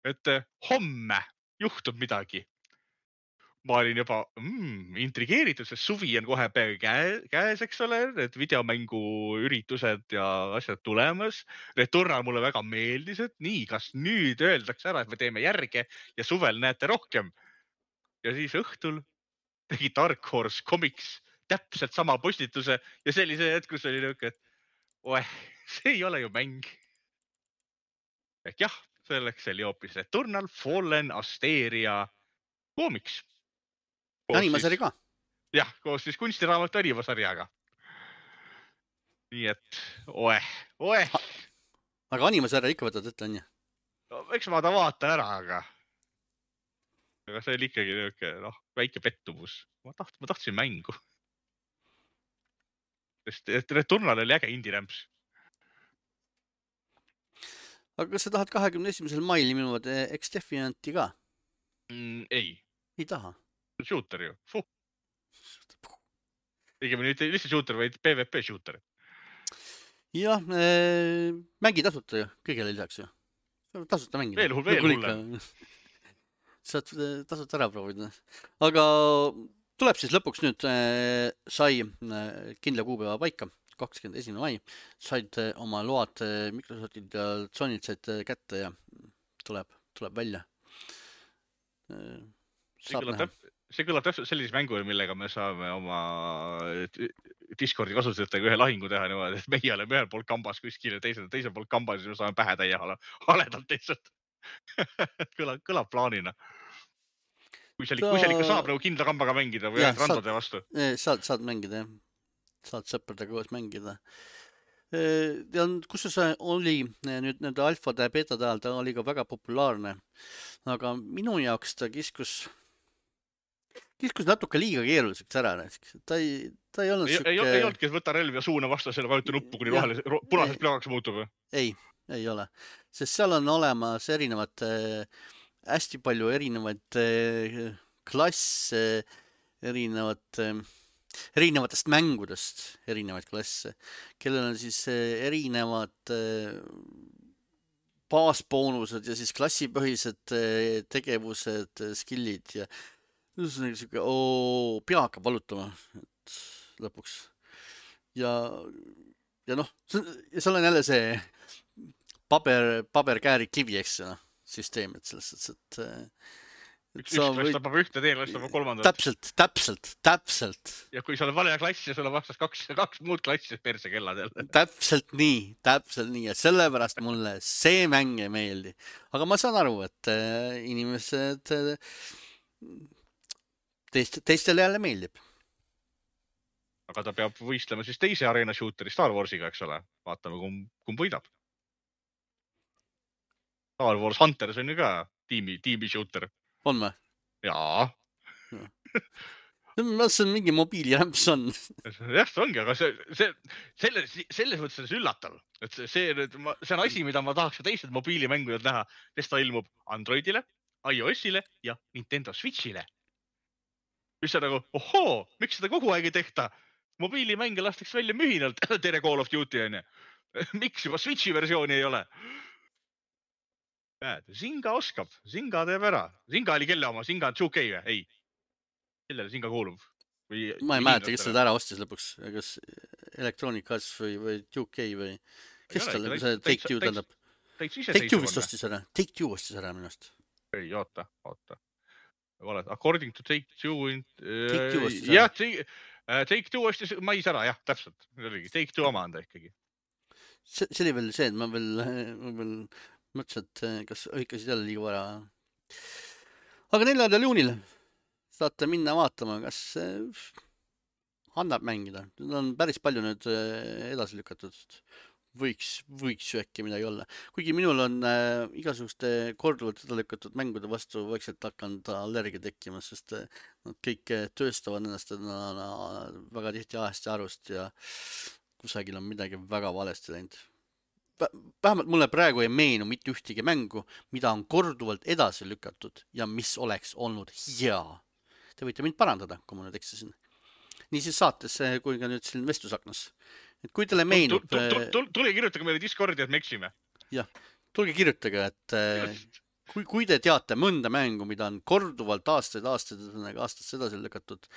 et homme juhtub midagi. Ma olin juba mm, intrigeeritud, sest suvi on kohe peaaegu käe, käes, eks ole, et videomängu üritused ja asjad tulemas. Returnal mulle väga meeldis, et nii, kas nüüd öeldakse ära, et me teeme järge ja suvel näete rohkem. Ja siis õhtul tegi Dark Horse Comics täpselt sama postituse ja sellise hetk, kus oli niuke, et oeh, see ei ole ju mäng. Ehk jah, selleks oli hoopis Returnal Fallen Asteria koomiks. Animasari ka? Jah, koos siis kunstiraamatu animasarjaga. Nii et, oeh, oeh. Aga animasarja ikka võtad ette, on ju? No, eks ma ta vaatan ära, aga... Aga see oli ikkagi niuke, noh, väike pettumus. Ma, taht, ma tahtsin mängu. Sest Returnal oli äge indie-rämps. Aga kas sa tahad kahekümne esimesel mail minuvad X-Defianti ka? Mm, ei. Ei taha? Shooter ju. Fuh. Õigemini mitte lihtsalt shooter, vaid P V P shooter. Jah, äh, mängi tasuta ju, kõigele lisaks ju. Tasuta mängida. Veel hull, veel hull. Saad tasuta ära proovida. Aga tuleb siis lõpuks nüüd äh, sai äh, kindla kuupäeva paika. kakskümmend esimene mai, said oma load Microsoftid ja Sony'd said kätte ja tuleb, tuleb välja. See kõlab, täp, see kõlab täpselt sellise mängu, millega me saame oma Discordi kasutajatega ühe lahingu teha niimoodi, et meie oleme ühel pool kambas kuskil ja teisel, teisel pool kambas ja me saame pähe täie haledalt lihtsalt. kõlab, kõlab plaanina. kui seal, kui seal ikka saab nagu kindla kambaga mängida või Jah, ainult randade vastu. Saad, saad mängida, jah. Saad sõpradega koos mängida. Ja kus see oli nüüd nende alfade ja betade ajal, ta oli ka väga populaarne. Aga minu jaoks ta kiskus, kiskus natuke liiga keeruliseks ära. Ta ei, ta ei olnud ei, süke... ei, ei olnudki, et võta relv ja suuna vastasele, vajuta nuppu, kuni vahele punasest plakaks muutub. Ei, ei ole. Sest seal on olemas erinevad, hästi palju erinevaid klasse, erinevad, erinevatest mängudest erinevaid klasse, kellel on siis erinevad baasboonused ja siis klassipõhised tegevused, skillid ja niisugune, oo, pea hakkab valutama lõpuks. Ja, ja noh, seal on jälle see paber, paberkääri kivi, eks no, süsteem, et selles, et, et üks klass võid... tapab ühte, teine klass tapab kolmandat. Täpselt, täpselt, täpselt. Ja kui sul on vale klass ja sul on vastas kaks, kaks muud klassi perse kelladel. Täpselt nii, täpselt nii. Ja sellepärast mulle see mäng ei meeldi. Aga ma saan aru, et inimesed teist, teistele jälle meeldib. Aga ta peab võistlema siis teise arena shooteri Star Warsiga, eks ole. Vaatame, kumb, kumb võidab. Star Wars Hunters on ju ka tiimi, tiimi shooter. On või? Jaa. Ma see on mingi mobiilirämps on. Jah, see ongi, aga see, see, selles, selles mõttes on see üllatav. Et see, see, see on asi, mida ma tahaks teised mobiilimängujad näha, sest ta ilmub Androidile, iOSile ja Nintendo Switchile. Mis on nagu, ohoo, miks seda kogu aeg ei tehta? Mobiilimänge lastakse välja mühinalt, tere Call of Duty on ja. Miks juba Switchi versiooni ei ole? Zinga oskab, Zinga teeb ära. Zinga oli kelle oma, Zinga on two K või? Ei. Kellele Zinga kuulub? Või, ma ei mäleta, kes seda ära ostis lõpuks. Kas Electronic Arts või, või two K või... Kes tal see Take-Two tähendab? Take-Two vist ostis ära. Take-Two ostis ära minust. Ei, oota, oota. According to Take-Two... Take-Two ostis ära. Jah, Take-Two ostis mais ära, jah, täpselt. Take-Two oma anda ikkagi. See, see oli veel see, et ma veel... Ma veel mõtlesin, et kas õikasid jälle liiga vara. Aga neljandal juunil saate minna vaatama, kas annab mängida. Need on päris palju nüüd edasi lükatud. Võiks, võiks ju äkki midagi olla. Kuigi minul on äh, igasuguste korduvalt edasi lükatud mängude vastu vaikselt hakanud allergia tekkima, sest nad kõik tööstavad ennast na, väga tihti ahest ja arust ja kusagil on midagi väga valesti läinud. Vähemalt mulle praegu ei meenu mitte ühtegi mängu, mida on korduvalt edasi lükatud ja mis oleks olnud hea. Te võite mind parandada, kui ma nüüd eksisin. Nii siis saates, kui ka nüüd siin vestlusaknas. Et kui teile meenub... Tule kirjutage meile Discordi, et me eksime. Jah, tulge kirjutage, et kui, kui te teate mõnda mängu, mida on korduvalt aastaid, aastaid, aastaid edasi lükatud,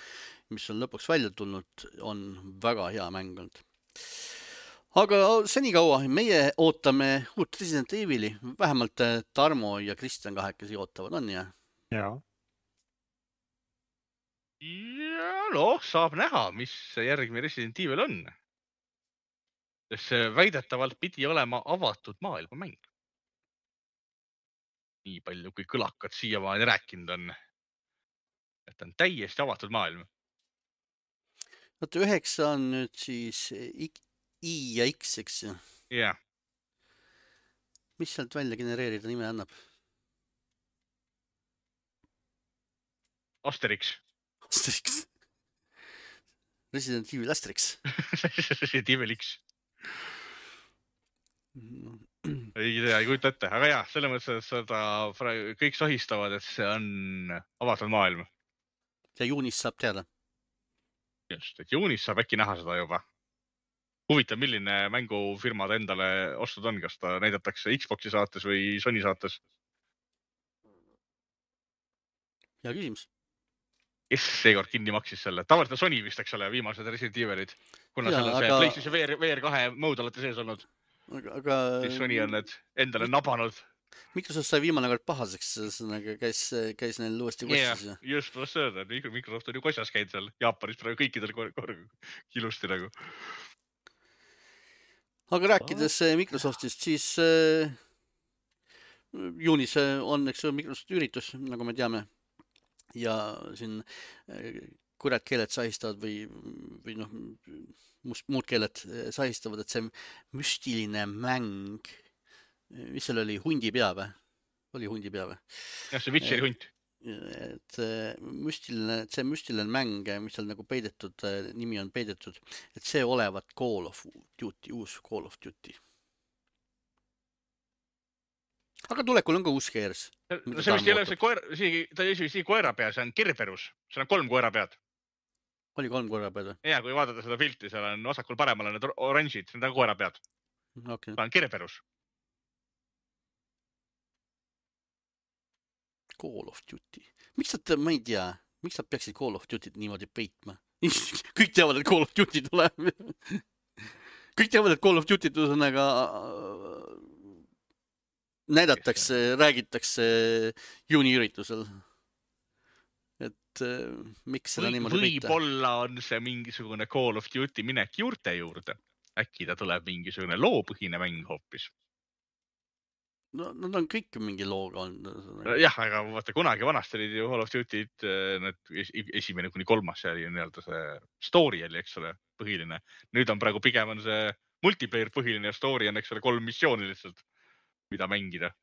mis on lõpuks välja tulnud, on väga hea mäng olnud. Aga senikaua meie ootame uut Resident Evili, vähemalt Tarmo ja Kristjan kahekesi ootavad, on ja? Jaa. Ja noh, saab näha, mis järgmine Resident Evil on. Sest see väidetavalt pidi olema avatud maailma mäng. Nii palju, kui kõlakad siiamaani rääkinud on. Et on täiesti avatud maailm. Vaata, üheksa on nüüd siis... I ja X, eks ju? Jah. Mis sealt välja genereerida nime annab? Asterix. Asterix. Resident Evil Asterix. Resident Evil X. Ei tea, ei kujuta ette. Aga jah, selle mõttes, et seda kõik sahistavad, et see on avatud maailm. Ja juunis saab teada. Just, et juunis saab äkki näha seda juba. Huvitav, milline mängufirma ta endale ostud on, kas ta näidatakse Xboxi saates või Sony saates? Hea küsimus. Kes seekord kinni maksis selle? Tavaliselt Sony vist, eks ole, viimased Resident Evilid. Kuna ja, selle aga... PlayStation V R kahe mode olete sees olnud. Aga, aga... Siis Sony on need endale nabanud. Microsoft sai viimane kord pahaseks, käis, käis neil uuesti kossis. Yeah, just was öelda, Microsoft on ju kosjas käinud seal Jaapanis praegu kõikidel kilusti nagu. Aga rääkides Microsoftist, siis äh, juunis on eks Microsoft üritus, nagu me teame. ja siin kurat keeled sahistavad või, või noh, must, muud keeled sahistavad, et see müstiline mäng, mis seal oli, hundipea või? Oli hundipea või? jah, see Witcheri hunt. Et müstiline, see müstiline mäng, mis seal nagu peidetud, nimi on peidetud, et see olevat Call of Duty, uus Call of Duty. Aga tulekul on ka uus Gears. No see vist ei ole see koer, ta ei esi koera pea, see on Kerberus. See on kolm koera pead. Oli kolm koera pead või? Ja, kui vaadata seda pilti, seal on vasakul paremal on need oranžid, see on koera pead. Okay. Ta on Kerberus. Call of Duty. Miks nad, ma ei tea, miks nad peaksid Call of Duty't niimoodi peitma? Kõik teavad, et Call of Duty tuleb. Kõik teavad, et Call of Duty't ühesõnaga näidatakse, räägitakse juuniüritusel. Et miks seda või, niimoodi peita? Võib-olla on see mingisugune Call of Duty minek juurte juurde. Äkki ta tuleb mingisugune loopõhine mäng hoopis. No, nad on kõik mingi looga olnud. Jah, aga vaata, kunagi vanasti olid ju Call of Duty'd, need esimene kuni kolmas, see oli nii-öelda see story oli, eks ole, põhiline. Nüüd on praegu pigem on see multiplayer põhiline ja story on, eks ole, kolm missiooni lihtsalt, mida mängida.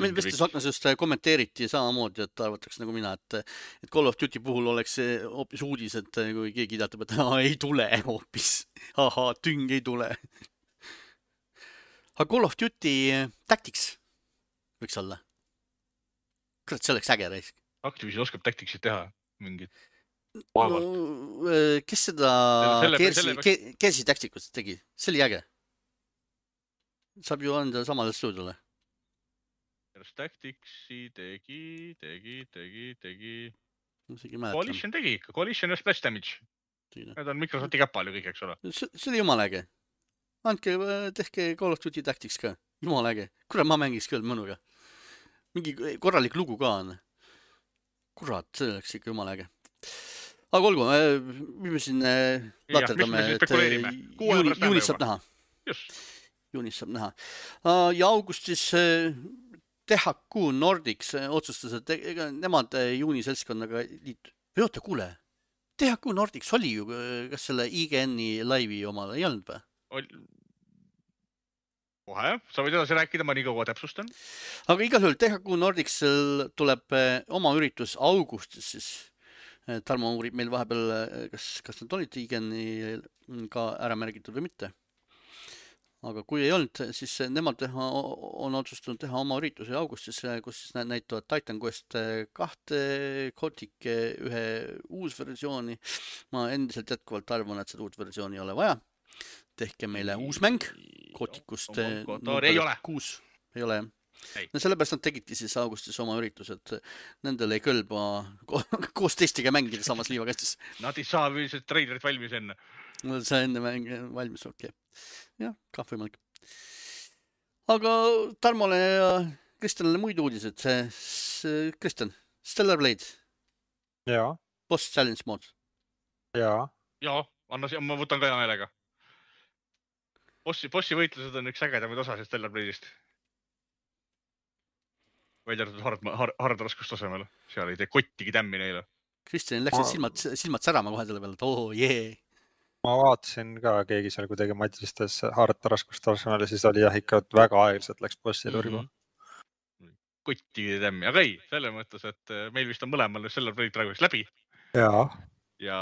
Meil vestes aknas just kommenteeriti samamoodi, et arvatakse nagu mina, et, et Call of Duty puhul oleks hoopis uudis, et kui keegi teatab, et aa, ei tule hoopis. Aha, tüng ei tule. Aga Call of Duty Tactics võiks olla. Kurat, see oleks äge raisk. Activision oskab Tacticsit teha mingid. No, kes seda Gearsi Tacticust tegi? See oli äge. Saab ju anda samale stuudiole. Tacticsi tegi, tegi, tegi, tegi. Coalition tegi ikka. Coalition ja Splash Damage. Need on Microsofti käppal ju kõik, eks ole. See oli jumal äge. Andke, tehke Call of Duty Tactics ka. Jumal äge. Kurat, ma mängiks küll mõnuga. Mingi korralik lugu ka on. Kurat, see oleks ikka jumal äge. Aga olgu, me siin laaterdame, et juunis saab näha. Juunis saab näha. Ja augustis T H Q Nordics otsustas, et ega nemad juuni seltskonnaga liitu. Või oota, kuule. T H Q Nordics oli ju, kas selle I G N-i laivi omal ei olnud või? Kohe, sa võid edasi rääkida, ma nii kaua täpsustan. Aga igal juhul T H Q Nordics tuleb oma üritus augustis siis. Tarmo uurib meil vahepeal, kas, kas nad olid I G N-i ka ära märgitud või mitte. Aga kui ei olnud, siis nemad teha, on otsustanud teha oma ürituse augustis, kus siis näitavad Titan Quest kahte, Gothic ühe uus versiooni. Ma endiselt jätkuvalt arvan, et seda uut versiooni ei ole vaja. Tehke meile uus mäng Gothicust kuus. Ei ole. No sellepärast nad tegidki siis augustis oma üritus, et nendel ei kõlba koos teistega mängida samas liivakastis. Nad ei saa üldiselt treilerit valmis enne. See enne mäng valmis, okei. Okay. Jah, kah võimalik. Aga Tarmole ja Kristjanile muid uudised. See, Kristjan, Stellar Blade. Jaa. Boss Challenge Mode. Jaa. Jaa, anna, ma võtan ka hea meelega. Bossi, bossi võitlused on üks ägedamaid osasid Stellar Blade'ist. Välja arvatud hard, hard, hard raskustasemel. Seal ei tee kottigi tämmi neile. Kristjanil läksid silmad, silmad särama kohe selle peale, et oo, oh, jee. Yeah. Ma vaatasin ka keegi seal kuidagi matristas hard raskustasemel ja siis oli jah ikka väga aeglaselt läks bossi turgu. Mm-hmm. Kottigi tämmi, aga ei, selle mõttes, et meil vist on mõlemal Stellar Blade praegu läbi. Jaa. Ja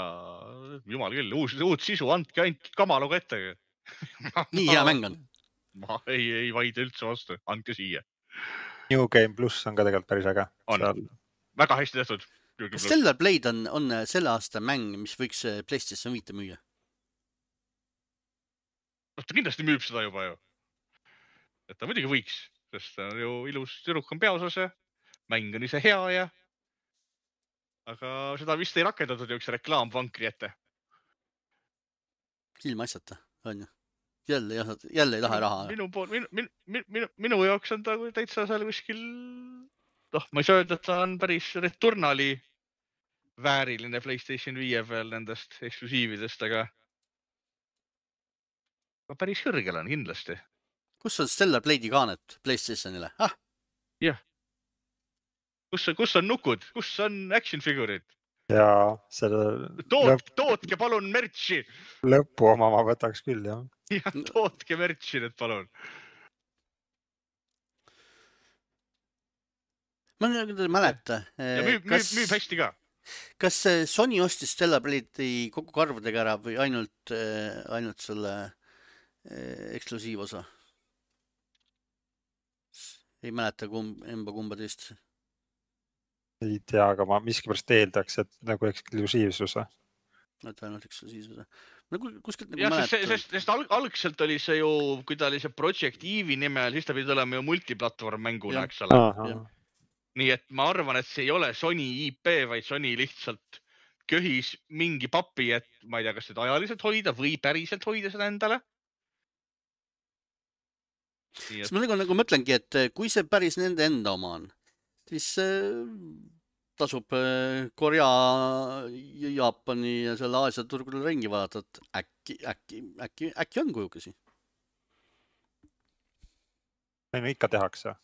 jumal küll, uus, uut sisu, andke ainult kamaluga ette. Nii hea mäng on. Ma ei, ei vaide üldse vastu, andke siia. New Game Plus on ka tegelikult päris äge. On, seal... väga hästi tehtud. Stellar Blade on, on selle aasta mäng, mis võiks PlayStation viite müüa. Ta kindlasti müüb seda juba ju. Et ta muidugi võiks, sest ta on ju ilus tüdruk on peaosas ja mäng on ise hea ja aga seda vist ei rakendatud ju üks reklaam vankri ette. Ilma asjata, on ju. Jälle, jälle ei taha raha. Minu, minu, minu, minu, minu jaoks on ta täitsa seal kuskil, noh, ma ei saa öelda, et ta on päris Returnali vääriline PlayStation viie peal nendest eksklusiividest, aga päris kõrgel on kindlasti. Kus on Stellar Blade'i kaanet PlayStationile? Ah? Jah. kus, kus on nukud, kus on action figure'id? Ja selle Toot, lõp, tootke palun mertsi. lõpu oma ma võtaks küll, jah. Ja tootke mertsi nüüd palun. Ma nüüd ei mäleta. Ja müüb, müüb, müüb hästi ka. Kas Sony ostis Stellar Blade'i kogu karvadega ära või ainult, ainult selle eksklusiivosa? Ei mäleta kumb, emba kumba teist. Ei tea, aga ma miskipärast eeldaks, et nagu eksklusiivsuse. Et ainult eksklusiivsuse. No kuskilt nagu ja, mäleta. Sest, sest, sest alg, algselt oli see ju, kui ta oli see Project Eve'i nimel, siis ta pidi olema ju multiplatvorm mänguna, eks ole. Aha. Nii et ma arvan, et see ei ole Sony I P, vaid Sony lihtsalt köhis mingi papi, et ma ei tea, kas seda ajaliselt hoida või päriselt hoida seda endale. Et... ma nagu, nagu mõtlengi, et kui see päris nende enda oma on, siis tasub Korea, Jaapani ja selle Aasia turgudel ringi vaadata, et äkki, äkki, äkki, äkki on kujukesi. Ei, no ikka tehakse.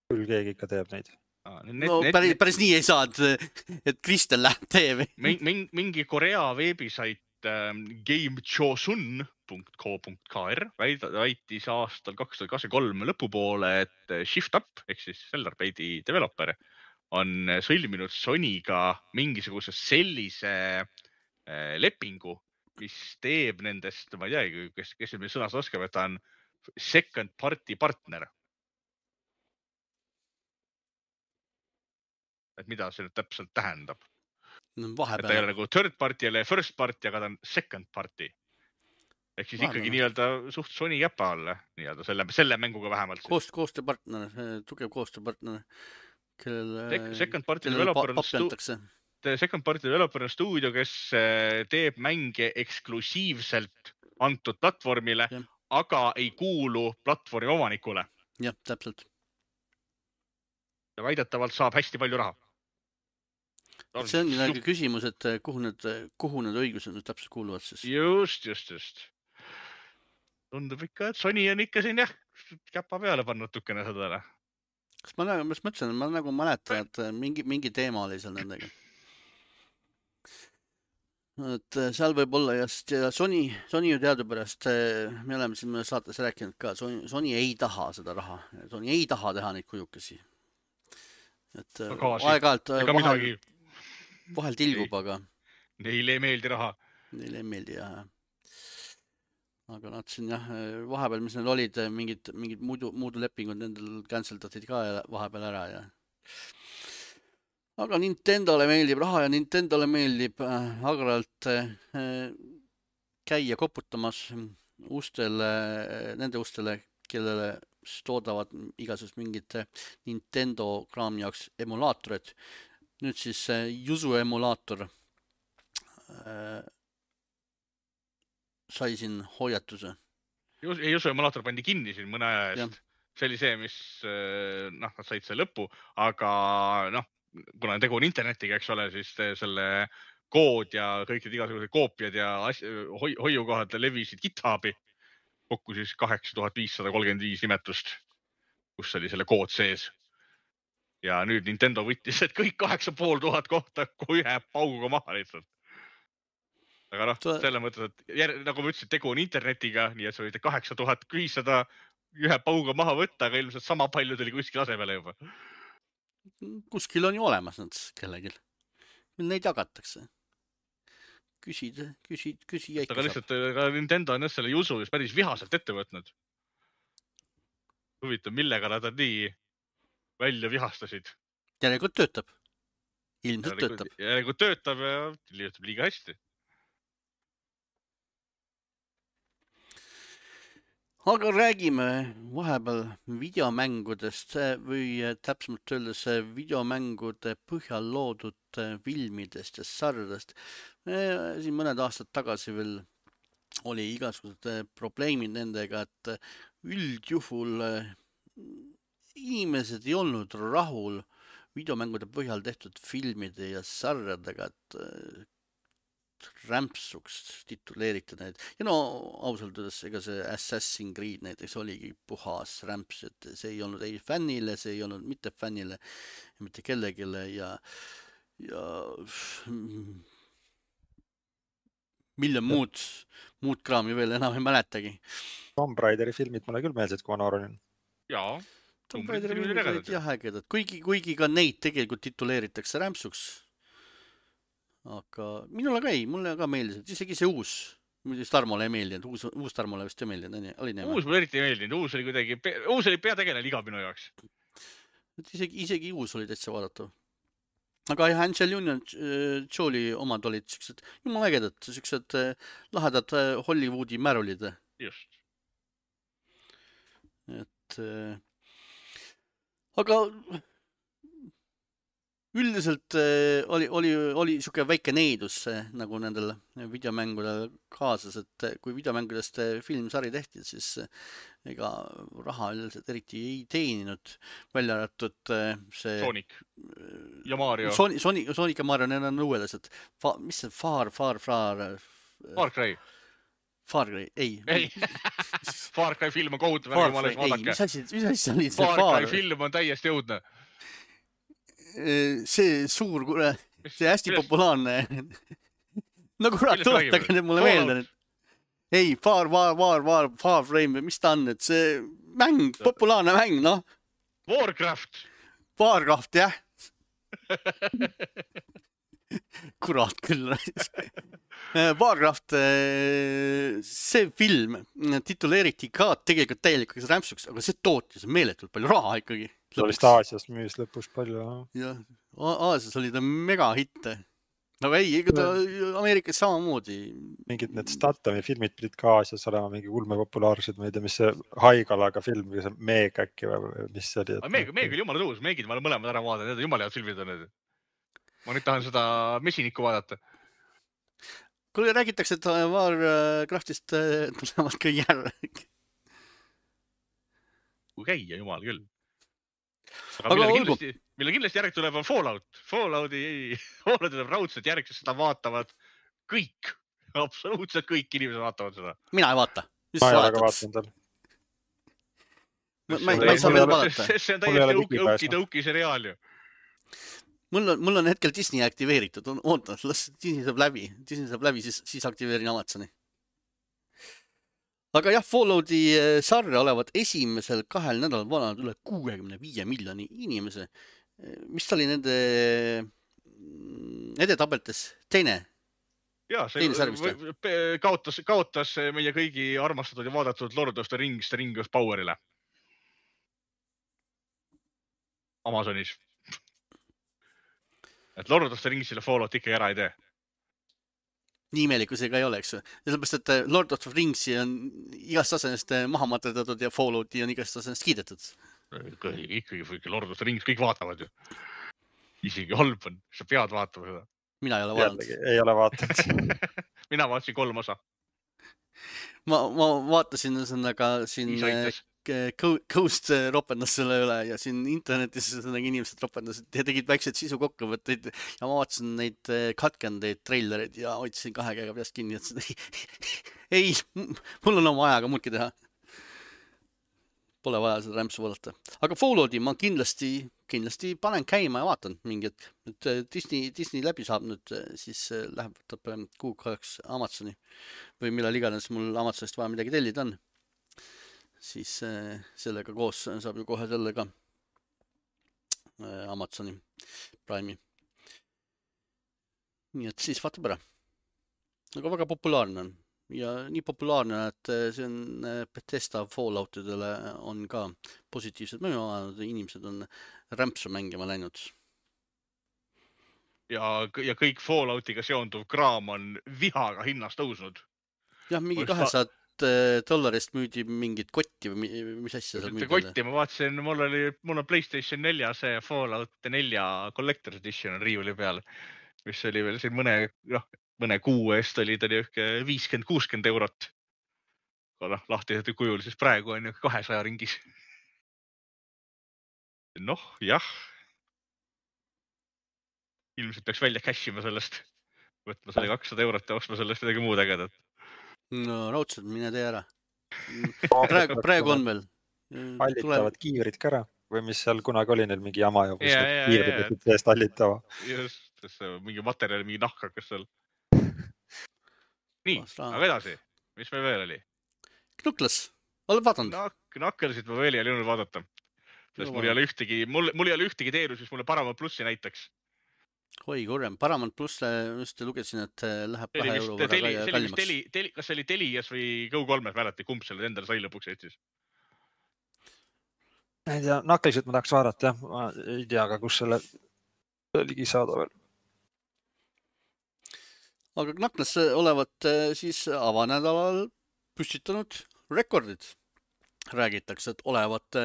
Küll keegi ikka teeb neid. Need, no need, päris, päris nii ei saa, et, et Kristel läheb teeb. Mingi, mingi Korea veebisait ähm, gamechosun punkt co punkt k r väitis aastal kaks tuhat kakskümmend kolm lõpupoole, et Shift Up ehk siis Stellar Blade'i developer on sõlminud Sonyga mingisuguse sellise äh, lepingu, mis teeb nendest, ma ei tea, kes, kes meil sõnas oskab, et ta on second party partner. Et mida see nüüd täpselt tähendab. No, et ta ei ole nagu third party ja first party, aga ta on second party. Ehk siis vahepeal. Ikkagi nii-öelda suht Sony käpa alla, nii-öelda selle, selle mänguga vähemalt. Koost, koostööpartner, tugev koostööpartner, kellel, second party developer on stu... second party developer on stuudio, kes teeb mänge eksklusiivselt antud platvormile, ja. Aga ei kuulu platvormi omanikule. Jah, täpselt. Ja väidetavalt saab hästi palju raha. See on nagu küsimus, et kuhu need, kuhu need õigused nüüd täpselt kuuluvad siis? Just, just, just. Tundub ikka, et Sony on ikka siin jah, käpa peale pannud tukene sõdale. Kas ma nagu, ma mõtlesin, ma nagu mäletan, et mingi, mingi teema oli seal nendega. Et seal võib olla just ja Sony, Sony ju teadupärast, me oleme siin saates rääkinud ka, Sony, Sony ei taha seda raha. Sony ei taha teha neid kujukesi. Et aeg-aalt vahel, vahel tilgub, aga neile ei meeldi raha. Neile ei meeldi, jah. Aga nad siin jah, vahepeal, mis need olid, mingid, mingid muidu, muudu lepingud nendel canceldatid ka vahepeal ära. Ja. Aga Nintendole meeldib raha ja Nintendole meeldib agaralt käia koputamas ustele, nende ustele, kellele toodavad igasugust mingit Nintendo kraami jaoks emulaatorid. Nüüd siis Yuzu emulaator äh, sai siin hoiatuse. Yuzu emulaator pandi kinni siin mõne aja eest. Ja. See oli see, mis noh, nad said see lõppu, aga noh, kuna tegu on internetiga, eks ole, siis selle kood ja kõik need igasugused koopiad ja hoi, hoiukohad levisid GitHubi. Kokku siis kaheksa tuhat viissada kolmkümmend viis nimetust, kus oli selle kood sees. Ja nüüd Nintendo võttis, et kõik kaheksa pool tuhat kohta ühe pauguga maha lihtsalt. Aga noh, selle mõttes, et jär, nagu ma ütlesin, tegu on internetiga, nii et sa võite kaheksa tuhat viissada ühe pauguga maha võtta, aga ilmselt sama palju tuli kuskil asemele juba. Kuskil on ju olemas nad kellegil. Neid jagatakse. Küsid, küsid, küsi jäi. Aga lihtsalt ka Nintendo on selle Yuzu just päris vihaselt ette võtnud. Huvitav, millega nad nii välja vihastasid. Järelikult töötab. Ilmselt töötab. Järelikult töötab ja töötab liiga hästi. Aga räägime vahepeal videomängudest või täpsemalt öeldes videomängude põhjal loodud filmidest ja sarjadest. Siin mõned aastad tagasi veel oli igasugused probleemid nendega, et üldjuhul inimesed ei olnud rahul videomängude põhjal tehtud filmide ja sarjadega, et rämpsuks tituleeritud need ja no ausalt öeldes ega see Assassin's Creed näiteks oligi puhas rämps, et see ei olnud ei fännile, see ei olnud mitte fännile, mitte kellegile ja ja miljon muud, muud kraami veel enam ei mäletagi. Tomb Raideri filmid mulle küll meeldisid, kui ma noor olin. Jaa. Tomb Raideri filmid olid jah ägedad, kuigi, kuigi ka neid tegelikult tituleeritakse rämpsuks. Aga minule ka ei, mulle ka meeldis, et isegi see uus, muidugi Tarmole ei meeldinud, uus, uus Tarmole vist ei meeldinud, oli nii? Uus mulle eriti ei meeldinud, uus oli kuidagi, uus oli peategelane iga minu jaoks. Isegi, isegi uus oli täitsa vaadata. Aga jah, Angelina Jolie omad olid siuksed, jumal ägedad, siuksed lahedad Hollywoodi märulid. Just. Et, aga üldiselt oli, oli, oli siuke väike neidus nagu nendel videomängudel kaasas, et kui videomängudest filmsari tehti, siis ega raha üldiselt eriti ei teeninud, välja arvatud see Sonic ja Mario. Sonic, Sonic, Sonic ja Mario, need on uuelased. Fa, mis see Far, Far, Far? Far Cry. Far Cry, ei. Ei, Far Cry film on kohutav, Far Cry, ei, mis asi, mis asi oli see Far? Far Cry film on täiesti jõudne. See suur, see hästi populaarne. No kurat, tuletage nüüd mulle meelde nüüd. Ei, Far, Far, Far, Far, Far Frame, mis ta on, et see mäng, populaarne mäng, noh. Warcraft. Warcraft, jah. Kurat küll. Warcraft, see film tituleeriti ka tegelikult täielikuks rämpsuks, aga see tootis meeletult palju raha ikkagi. See oli Aasias müüs lõpus palju. Jah, Aasias oli ta mega hitte. Aga ei, ega ta Ameerikas samamoodi. Mingid need Statami filmid pidid ka Aasias olema mingi ulme populaarsed, ma ei tea, mis see Haigalaga film, mis see Meeg äkki või mis see oli? Meeg, Meeg oli jumala tõus, Meegid ma olen mõlemad ära vaadanud, need on jumala head filmid on need. Ma nüüd tahan seda mesinikku vaadata. Kui räägitakse, et Warcraftist tulevad ka järg. Kui käia, jumal küll. Aga, aga mille kindlasti, mille kindlasti järg tuleb on Fallout. Fallouti, Fallouti tuleb raudselt järg, sest seda vaatavad kõik. Absoluutselt kõik inimesed vaatavad seda. Mina ei vaata. Ma ei ole ka vaatanud tal. Ma, ma, ma ei saa veel vaadata. See on täiesti õuki-tõuki seriaal ju. Mul on, mul on hetkel Disney aktiveeritud. Oota, las Disney saab läbi. Disney saab läbi, siis, siis aktiveerin Amazoni. Aga jah, Fallouti sarja olevat esimesel kahel nädalal vanad üle kuuekümne viie miljoni inimese. Mis ta oli nende edetabeltes? Teine? Jaa, see kaotas, kaotas meie kõigi armastatud ja vaadatud Lord of the Rings, The Ring of Powerile. Amazonis. Et Lord of the Ringsile Fallout ikka ära ei tee. Nii imelik, kui see ka ei ole, eks. Sellepärast, et Lord of the Ringsi on igast asenest maha materdatud ja Fallouti on igast asenest kiidetud. Ikkagi Lord of the Rings kõik vaatavad ju. Isegi halb on, sa pead vaatama seda. Mina ei ole vaadanud. Ei ole vaatanud. Mina vaatasin kolm osa. Ma, ma vaatasin aga siin Ghost ropendas selle üle ja siin internetis inimesed ropendasid ja tegid väiksed sisu kokkuvõtteid ja ma vaatasin neid katkendeid, trailereid ja hoidsin kahe käega peast kinni, et ei, mul on oma ajaga muudki teha. Pole vaja seda rämpsu vaadata. Aga Fallouti ma kindlasti, kindlasti panen käima ja vaatan mingit. Nüüd Disney, Disney läbi saab nüüd, siis läheb võtab kuu kaheks Amazoni või millal iganes mul Amazonist vaja midagi tellida on. Siis sellega koos saab ju kohe sellega Amazoni Prime'i. Nii et siis vaatab ära. Aga väga populaarne on. Ja nii populaarne, et see on Bethesda Falloutidele on ka positiivsed mõju, inimesed on rämpsu mängima läinud. Ja, ja kõik Falloutiga seonduv kraam on vihaga hinnas tõusnud. Jah, mingi kahesaja dollarist müüdi mingit kotti või mis asja seal müüdi? Kotti, ma vaatasin, mul oli, mul on PlayStation nelja see Fallout nelja Collector's Edition on riivuli peal, mis oli veel siin mõne, noh, mõne kuu eest oli ta viiskümmend kuuskümmend eurot. Noh, lahti kujul, siis praegu on ju kahesaja ringis. Noh, jah. Ilmselt peaks välja cashima sellest. võtma selle kakssada eurot ja ostma sellest midagi muud ägedat. No raudselt, mine tee ära. Praegu, praegu on veel. Hallitavad kiivrid ka ära või mis seal kunagi oli neil mingi jama ja kus Ja, need ja, kiivrid ja. võtsid seest hallitava. Just, sest see mingi materjal, mingi nahk hakkas seal. Nii, Vast raha. aga edasi. Mis meil veel oli? Knuckles, oled vaadanud? Nak- Knucklesit ma veel ei jõudnud vaadata. Sest mul ei ole ühtegi, mul, mul ei ole ühtegi teenus, mis mulle Paramount plussi näitaks. Oi, kurjem. Paramount pluss just lugesin, et läheb See oli kahe vist euro teli, võrra see oli vist kallimaks. teli, teli, kas see oli Telias või Go kolmes mäleti, kumb selle endale sai lõpuks Eestis? Ma ei tea, Knucklesit ma tahaks vaadata, jah. Ma ei tea ka, kus selle ligi saada veel. Aga Knuckles olevat siis avanädalal püstitanud rekordid. Räägitakse, et olevat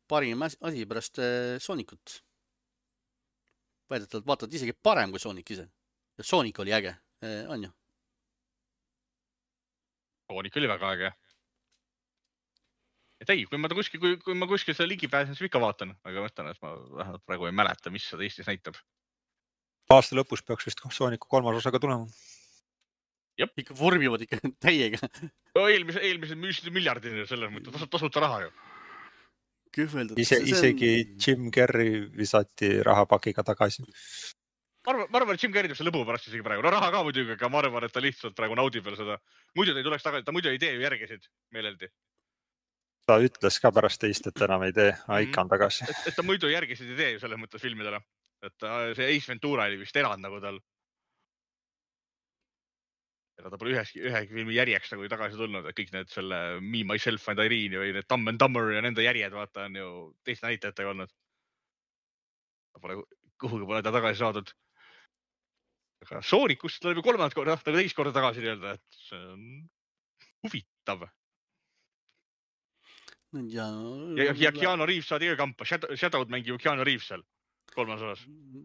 parim asi pärast Sonicut. Väidetavalt vaatad isegi parem kui Sonic ise. Ja Sonic oli äge, on ju? Sonic oli väga äge. Et ei, kui ma, ta kuskil, kui, kui ma kuskil seda ligi pääsen, siis ikka vaatan. Aga mõtlen, et ma vähemalt praegu ei mäleta, mis seda Eestis näitab. Aasta lõpus peaks vist Sonicu kolmas osaga tulema. Jep. Ikka vormivad ikka täiega. No, eelmise, eelmised müüsid miljardini selles mõttes, tasub tasuta raha ju. Kühveldud. Ise, isegi Jim Carrey visati rahapakiga tagasi. Ma arvan, ma arvan, et Jim Carrey teeb see lõbu pärast isegi praegu. No raha ka muidugi, aga ma arvan, et ta lihtsalt praegu naudib veel seda. Muidu ta ei tuleks tagasi, ta muidu ei tee ju järgesid meeleldi. Ta ütles ka pärast teist, et enam ei tee, aga ikka on tagasi. Et, et ta muidu järgesid ei tee ju selles mõttes filmidele. Et see Ace Ventura oli vist erand nagu tal. Ja ta pole üheski, ühegi filmi järjeks nagu tagasi tulnud, et kõik need selle Me, Myself and Irene või need Dumb and Dumber ja nende järjed vaata on ju teiste näitajatega olnud. Ta pole, kuhugi pole ta tagasi saadud. Aga Sonicust tuleb ju kolmandat korda, nagu teist korda tagasi nii-öelda, et see on huvitav. Ja, ja, ja Keanu Reeves saadi ka kampa, Shadow'd mängib Keanu Reeves seal. Kolmas osas.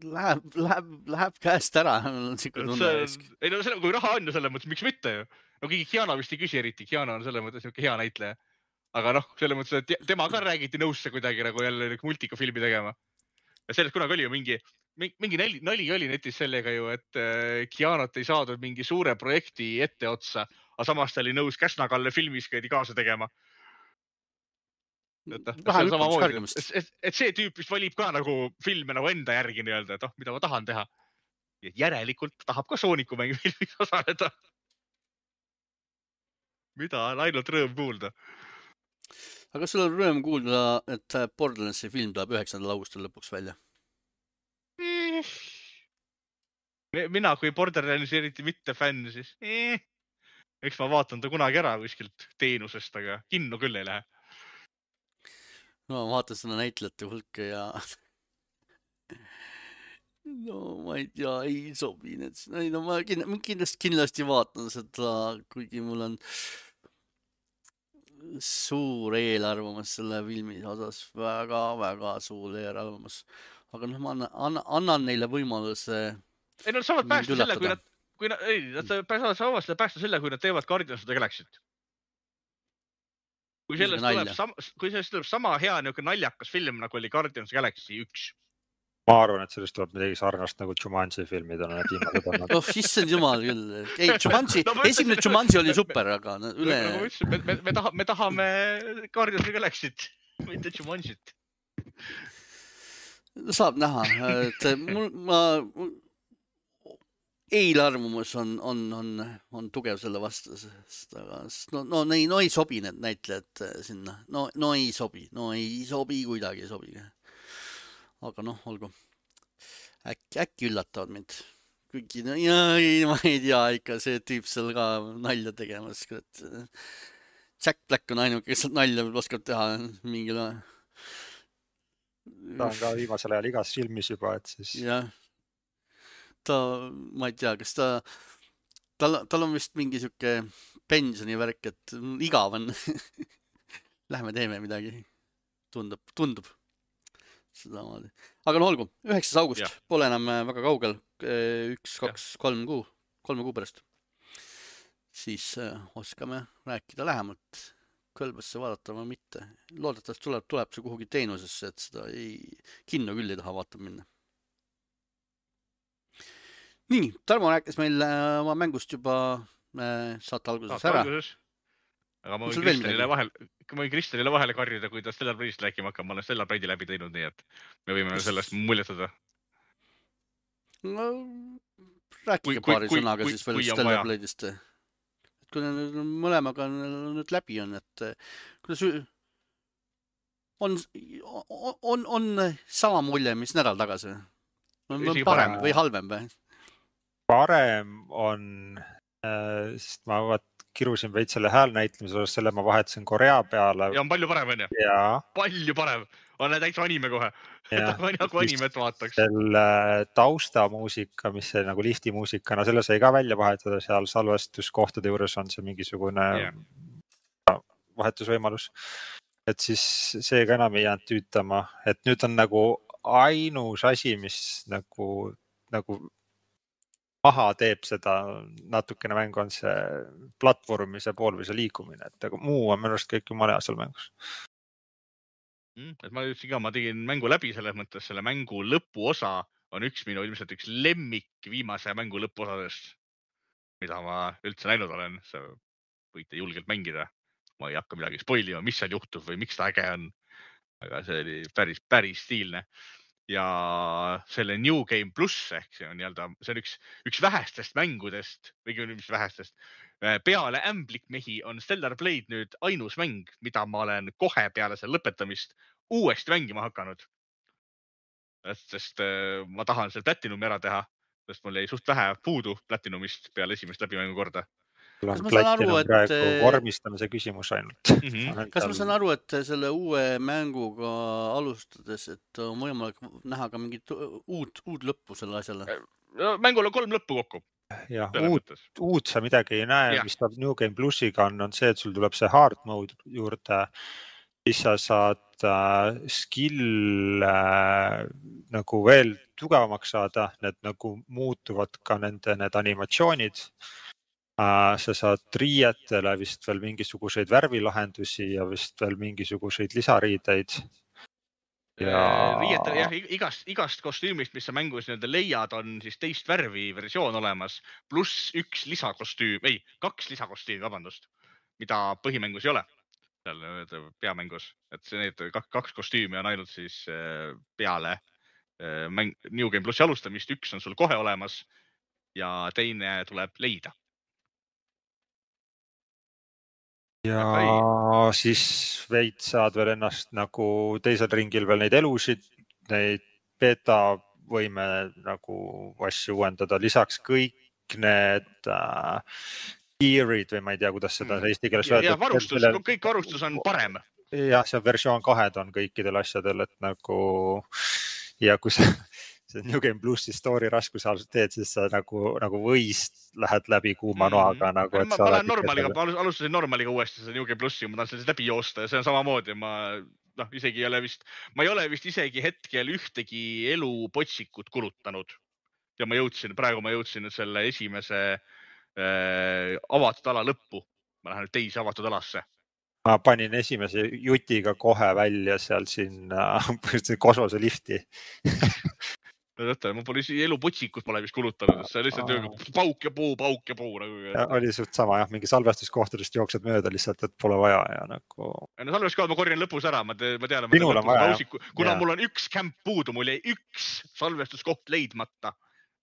Läheb, läheb, läheb käest ära. Ei no selle, kui raha on ju selle mõttes, miks mitte ju. No keegi Keanu vist ei küsi eriti, Keanu on selle mõttes hea näitleja. Aga noh, selle mõttes, et tema ka räägiti nõusse kuidagi nagu jälle multika filmi tegema. Ja sellest kunagi oli ju mingi, mingi nali, nali oli netis sellega ju, et Keanut ei saadud mingi suure projekti ette otsa, aga samas ta oli nõus Käsna-Kalle filmis käidi kaasa tegema. Et, et, et, et see tüüp vist valib ka nagu filme nagu enda järgi nii-öelda, et oh, mida ma tahan teha. Ja järelikult tahab ka Sooniku mängi filmis osaleda. Mida on ainult rõõm kuulda. Aga sul on rõõm kuulda, et Borderlandsi film tuleb üheksandal augustil lõpuks välja? Mina kui Borderlandsi eriti mitte fänn, siis eh, eks ma vaatan ta kunagi ära kuskilt teenusest, aga kinno küll ei lähe. No ma vaatan seda näitlejate hulka ja no ma ei tea, ei sobi need. No ma kindlasti, kindlasti vaatan seda, kuigi mul on suur eelarvamus selle filmi osas, väga-väga suur eelarvamus. Aga noh, ma annan, annan neile võimaluse. Ei, nad saavad päästa selle, kui nad, kui nad, ei, nad saavad seda päästa selle, kui nad teevad Guardians of the Galaxy't. Kui sellest, tuleb sama, kui sellest tuleb sama hea niuke naljakas film, nagu oli Guardians of the Galaxy üks. Ma arvan, et sellest tuleb midagi sarnast nagu Jumanji filmid on need viimased olnud. Oh, issand jumal küll. Ei, Jumanji, no, esimene Jumanji oli super, aga üle... Nagu ma ütlesin, me, me, me, tahame, me tahame Guardians of the Galaxy't, mitte Jumanji't. Saab näha, et mul, ma... Eelarvamus on, on, on, on tugev selle vastu, sest aga, no, no, no, no ei sobi need näitlejad sinna. No, no ei sobi, no ei sobi, kuidagi ei sobi. Aga noh, olgu. Äkki, äkki üllatavad mind. Kuigi, no ja, ei, ma ei tea, ikka see tüüp seal ka nalja tegemas. Jack Black on ainuke, kes nalja oskab teha mingil ajal. Ta on ka viimasel ajal igas filmis juba, et siis... Jah. Ta, ma ei tea, kas ta, tal, tal on vist mingi siuke pensionivärk, et igav on. Lähme teeme midagi. Tundub, tundub. Seda maali. Aga no olgu, üheksas august, ja. Pole enam väga kaugel. Üks, kaks, kolm kuu, kolme kuu pärast. Siis oskame rääkida lähemalt. Kõlbasse vaadata või mitte. Loodetavasti tuleb, tuleb see kuhugi teenusesse, et seda ei, kinno küll ei taha vaatab minna. nii, Tarmo rääkis meil oma mängust juba saate alguses Saate ära. alguses. Aga ma On võin sul veel Kristjanile midagi? vahel, ma võin Kristjanile vahele karjuda, kui ta Stellar Blade'ist rääkima hakkab. Ma olen Stellar Blade'i läbi teinud, nii et me võime sellest muljetada. No, rääkige Kui- kui- paari kui- sõnaga kui- siis veel kui on Stellar vaja. Blade'ist. Et kui need mõlemaga on nüüd läbi on, et kuidas ü- on, on, on sama mulje, mis nädal tagasi? On Isegi parem parem. või halvem või? Parem on, äh, sest ma vaat kirusin veits selle häälnäitlemise osas, selle ma vahetasin Korea peale. Ja on palju parem, on ju? Ja, Palju parem. On täitsa anime kohe. ja Nagu animet vaataks. selle taustamuusika, mis see nagu liftimuusikana, selle sai ka välja vahetada, seal salvestuskohtade juures on see mingisugune Yeah. vahetusvõimalus. Et siis see ka enam ei jäänud tüütama, et nüüd on nagu ainus asi, mis nagu, nagu maha teeb seda natukene mängu, on see platvormise pool või see liikumine, et aga muu on minu arust kõik jumala hea seal mängus. Mm, et ma ütlesin ka, ma tegin mängu läbi selles mõttes, selle mängu lõpuosa on üks minu ilmselt üks lemmik viimase mängu lõpuosadest, mida ma üldse näinud olen. See võite julgelt mängida. Ma ei hakka midagi spoilima, mis seal juhtub või miks ta äge on. Aga see oli päris, päris stiilne. Ja selle New Game Plus ehk see on nii-öelda, see on üks, üks vähestest mängudest, või mis vähestest, peale Ämblikmehi on Stellar Blade nüüd ainus mäng, mida ma olen kohe peale selle lõpetamist uuesti mängima hakanud. Sest ma tahan selle Platinumi ära teha, sest mul jäi suht vähe puudu Platinumist peale esimest läbimängu korda. Kas ma saan aru, et praegu vormistamise küsimus ainult. Mhm. Kas ma saan aru, et selle uue mänguga alustades, et on võimalik näha ka mingit uut, uut lõppu selle asjale? Mängul on kolm lõppu kokku. Ja, uut, uut sa midagi ei näe, ja. Mis ta New Game Plusiga on, on see, et sul tuleb see hard mode juurde, siis sa saad äh, skill äh, nagu veel tugevamaks saada, need nagu muutuvad ka nende need animatsioonid. Äh, sa saad riietele vist veel mingisuguseid värvilahendusi ja vist veel mingisuguseid lisariideid. Ja... Riietel, jah, igast, igast kostüümist, mis sa mängus nii-öelda leiad, on siis teist värvi versioon olemas, pluss üks lisakostüüm, ei, kaks lisakostüümi, vabandust, mida põhimängus ei ole, seal peamängus. Et see, need kaks kostüümi on ainult siis peale mäng, New Game Plusi alustamist, üks on sul kohe olemas ja teine tuleb leida. Ja siis veits saad veel ennast nagu teisel ringil veel neid elusid, neid beta võime nagu asju uuendada. Lisaks kõik need äh, gearid või ma ei tea, kuidas seda eesti keeles öelda. Ja varustus, selle... kõik varustus on parem. Jah, see versioon kahed on kõikidel asjadel, et nagu ja kui sa see New Game Plusi story raskus teed, siis sa nagu, nagu võist lähed läbi kuuma noaga. Mm-hmm. Nagu, ma ma normaliga, alustasin normaliga uuesti seda New Game Plusi, ma tahan sellest läbi joosta ja see on samamoodi. Ma, no, isegi ei ole vist, ma ei ole vist isegi hetkel ühtegi elu potsikut kulutanud. Ja ma jõudsin, praegu ma jõudsin selle esimese äh, avatud ala lõppu. Ma lähen nüüd teise avatud alasse. Ma panin esimese jutiga kohe välja seal siin äh, kosmose lifti. Ma pole elu potsikut pole vist kulutanud, see on lihtsalt pauk ja puu, pauk ja puu. Nagu... Ja, oli suht sama, jah, mingi salvestuskohtadest jooksed mööda lihtsalt, et pole vaja ja nagu... No salvestuskohad ma korjan lõpus ära, ma, te, ma tean, Minul on vaja, jah. Kuna ja. Mul on üks kämp puudu, mul jäi üks salvestuskoht leidmata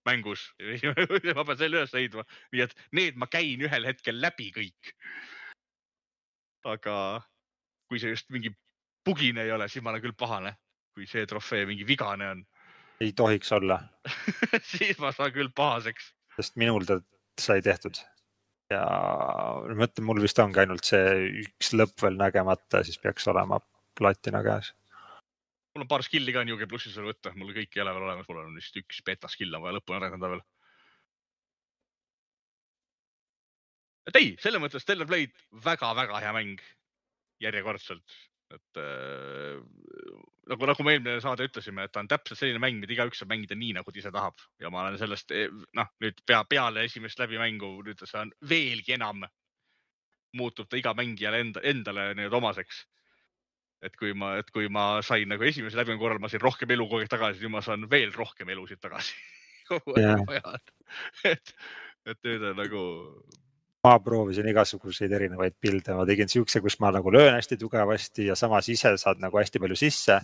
mängus. Ma pean selle üles leidma. Nii et need ma käin ühel hetkel läbi kõik. Aga kui see just mingi bugine ei ole, siis ma olen küll pahane. Kui see trofee mingi vigane on. Ei tohiks olla. Siis ma saan küll pahaseks. Sest minul ta sai tehtud. Ja mõtlen, mul vist ongi ainult see üks lõpp veel nägemata, siis peaks olema platina käes. Mul on paar skilli ka New Game Plusis veel võtta. Mul kõik ei ole veel olemas. Mul on vist üks beta skill on vaja lõppu arendada veel. Et ei, selle mõttes Stellar Blade väga-väga hea mäng. Järjekordselt. Et äh, nagu, nagu me eelmine saade ütlesime, et ta on täpselt selline mäng, mida igaüks saab mängida nii, nagu ta ise tahab. Ja ma olen sellest, noh, nüüd pea, peale esimest läbimängu, nüüd see on veelgi enam muutub ta iga mängijale enda, endale nüüd omaseks. Et kui ma, et kui ma sain nagu esimese läbimängu korral, ma sain rohkem elu kogu aeg tagasi, nüüd ma saan veel rohkem elusid tagasi. Yeah. et, et nüüd on nagu... Ma proovisin igasuguseid erinevaid pilde, ma tegin siukse, kus ma nagu löön hästi tugevasti ja samas ise saad nagu hästi palju sisse.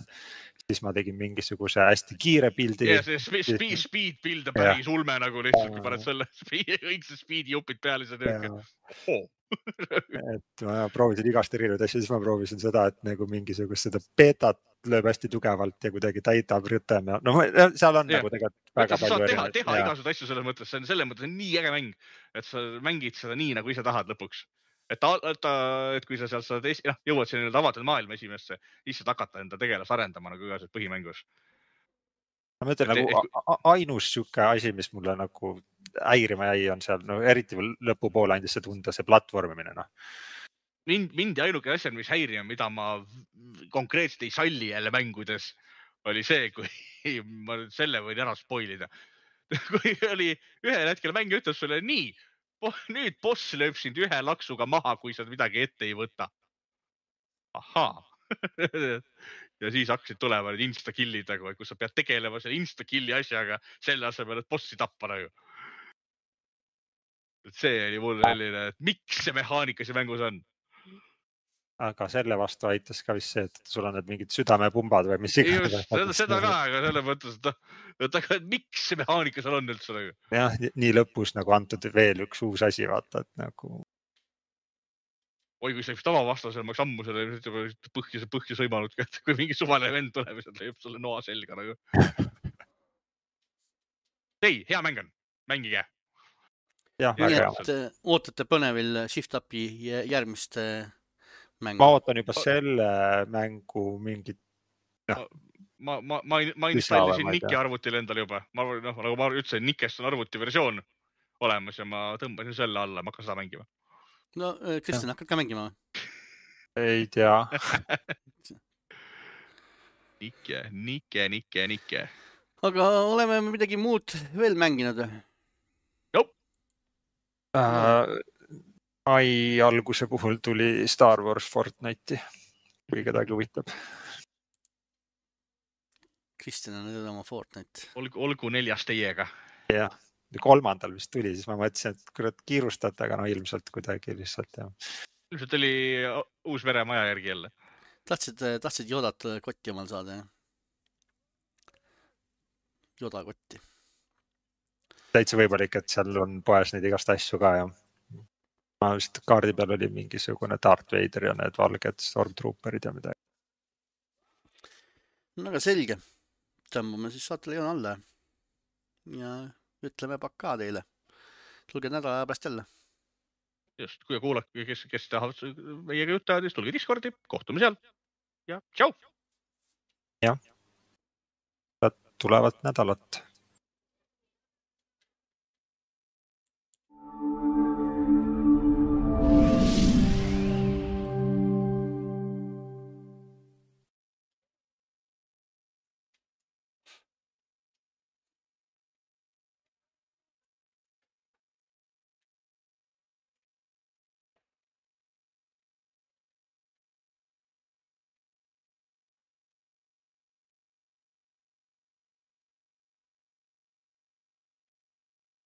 Siis ma tegin mingisuguse hästi kiire pildi. Ja see speed, speed pild on päris ulme nagu lihtsalt, kui paned selle õigse speedi jupid peale. Oh. et ma proovisin igast erinevaid asju, siis ma proovisin seda, et nagu mingisugust seda betat lööb hästi tugevalt ja kuidagi täidab rütem. No seal on ja. nagu tegelikult väga Võtta, palju teha, teha igasugused asju selles mõttes, see on selles mõttes on nii äge mäng, et sa mängid seda nii, nagu ise tahad lõpuks. Et, ta, et, et kui sa seal saad, no, jõuad sinna avatud maailma esimesse, siis saad hakata enda tegelas arendama nagu igasugused põhimängus. Ma mõtlen et, nagu et, ainus siuke asi, mis mulle nagu häirima jäi, on seal, no eriti lõpupoole andis see tunda, see platvormimine. No. Mind, mind ja ainuke asja, mis häirima, mida ma konkreetselt ei salli jälle mängudes, oli see, kui ma selle võin ära spoilida. Kui oli ühel hetkel mäng ütleb sulle nii, nüüd boss lööb sind ühe laksuga maha, kui sa midagi ette ei võta. Ahaa. Ja siis hakkasid tulema need insta-killid, kus sa pead tegelema selle insta-killi asjaga selle asemel, et bossi tappa nagu. See oli mul selline, et miks see mehaanika see mängus on? Aga selle vastu aitas ka vist see, et sul on need mingid südamepumbad või mis iganes. Just, seda, seda ka, aga selle mõttes, et, et miks see mehaanika seal on üldse nagu? Jah, nii lõpus nagu antud veel üks uus asi, vaata, et nagu... Oi, kui see üks tavavastasel, ma oleks ammu selle põhja, põhja sõimanud, kui mingi suvaline vend tuleb ja lööb selle noa selga nagu. Ei, hea mäng on, mängige. Jah, nii, et ootate põnevil Shift-Upi järgmist mängu. Ma ootan juba selle mängu mingit... No. Ma, ma, ma, ma installisin Nike arvutil endale juba. Ma, no, nagu ma ütlesin, Nikest on arvuti versioon olemas ja ma tõmbasin selle alla, ma hakkan seda mängima. No, Kristjan, hakkad ka mängima? Ei tea. Nike, Nike, Nike, Nike. Aga oleme midagi muud veel mänginud? Jop. Äh, ai alguse puhul tuli Star Wars Fortnite'i, kui kedagi huvitab. Kristjan on nüüd oma Fortnite. Olgu, olgu neljas teiega. Jah. Kolmandal vist tuli, siis ma mõtlesin, et kurat kiirustate, aga no ilmselt kuidagi lihtsalt. Ja. Ilmselt oli uus veremaja järgi jälle. Tahtsid, tahtsid Yodat kotti omal saada, jah? Yoda kotti. Täitsa võimalik, et seal on poes neid igast asju ka, ja ma vist kaardi peal oli mingisugune Darth Vader ja need valged Stormtrooperid ja midagi. No aga selge. Tõmbame siis saatele joon alla ja ütleme pakkaa teile. Tulge nädala pärast jälle. Just, kui kuulake, kes, kes tahavad meiega jutta, siis tulge Discordi, kohtume seal ja tšau! Jah, tulevad nädalat.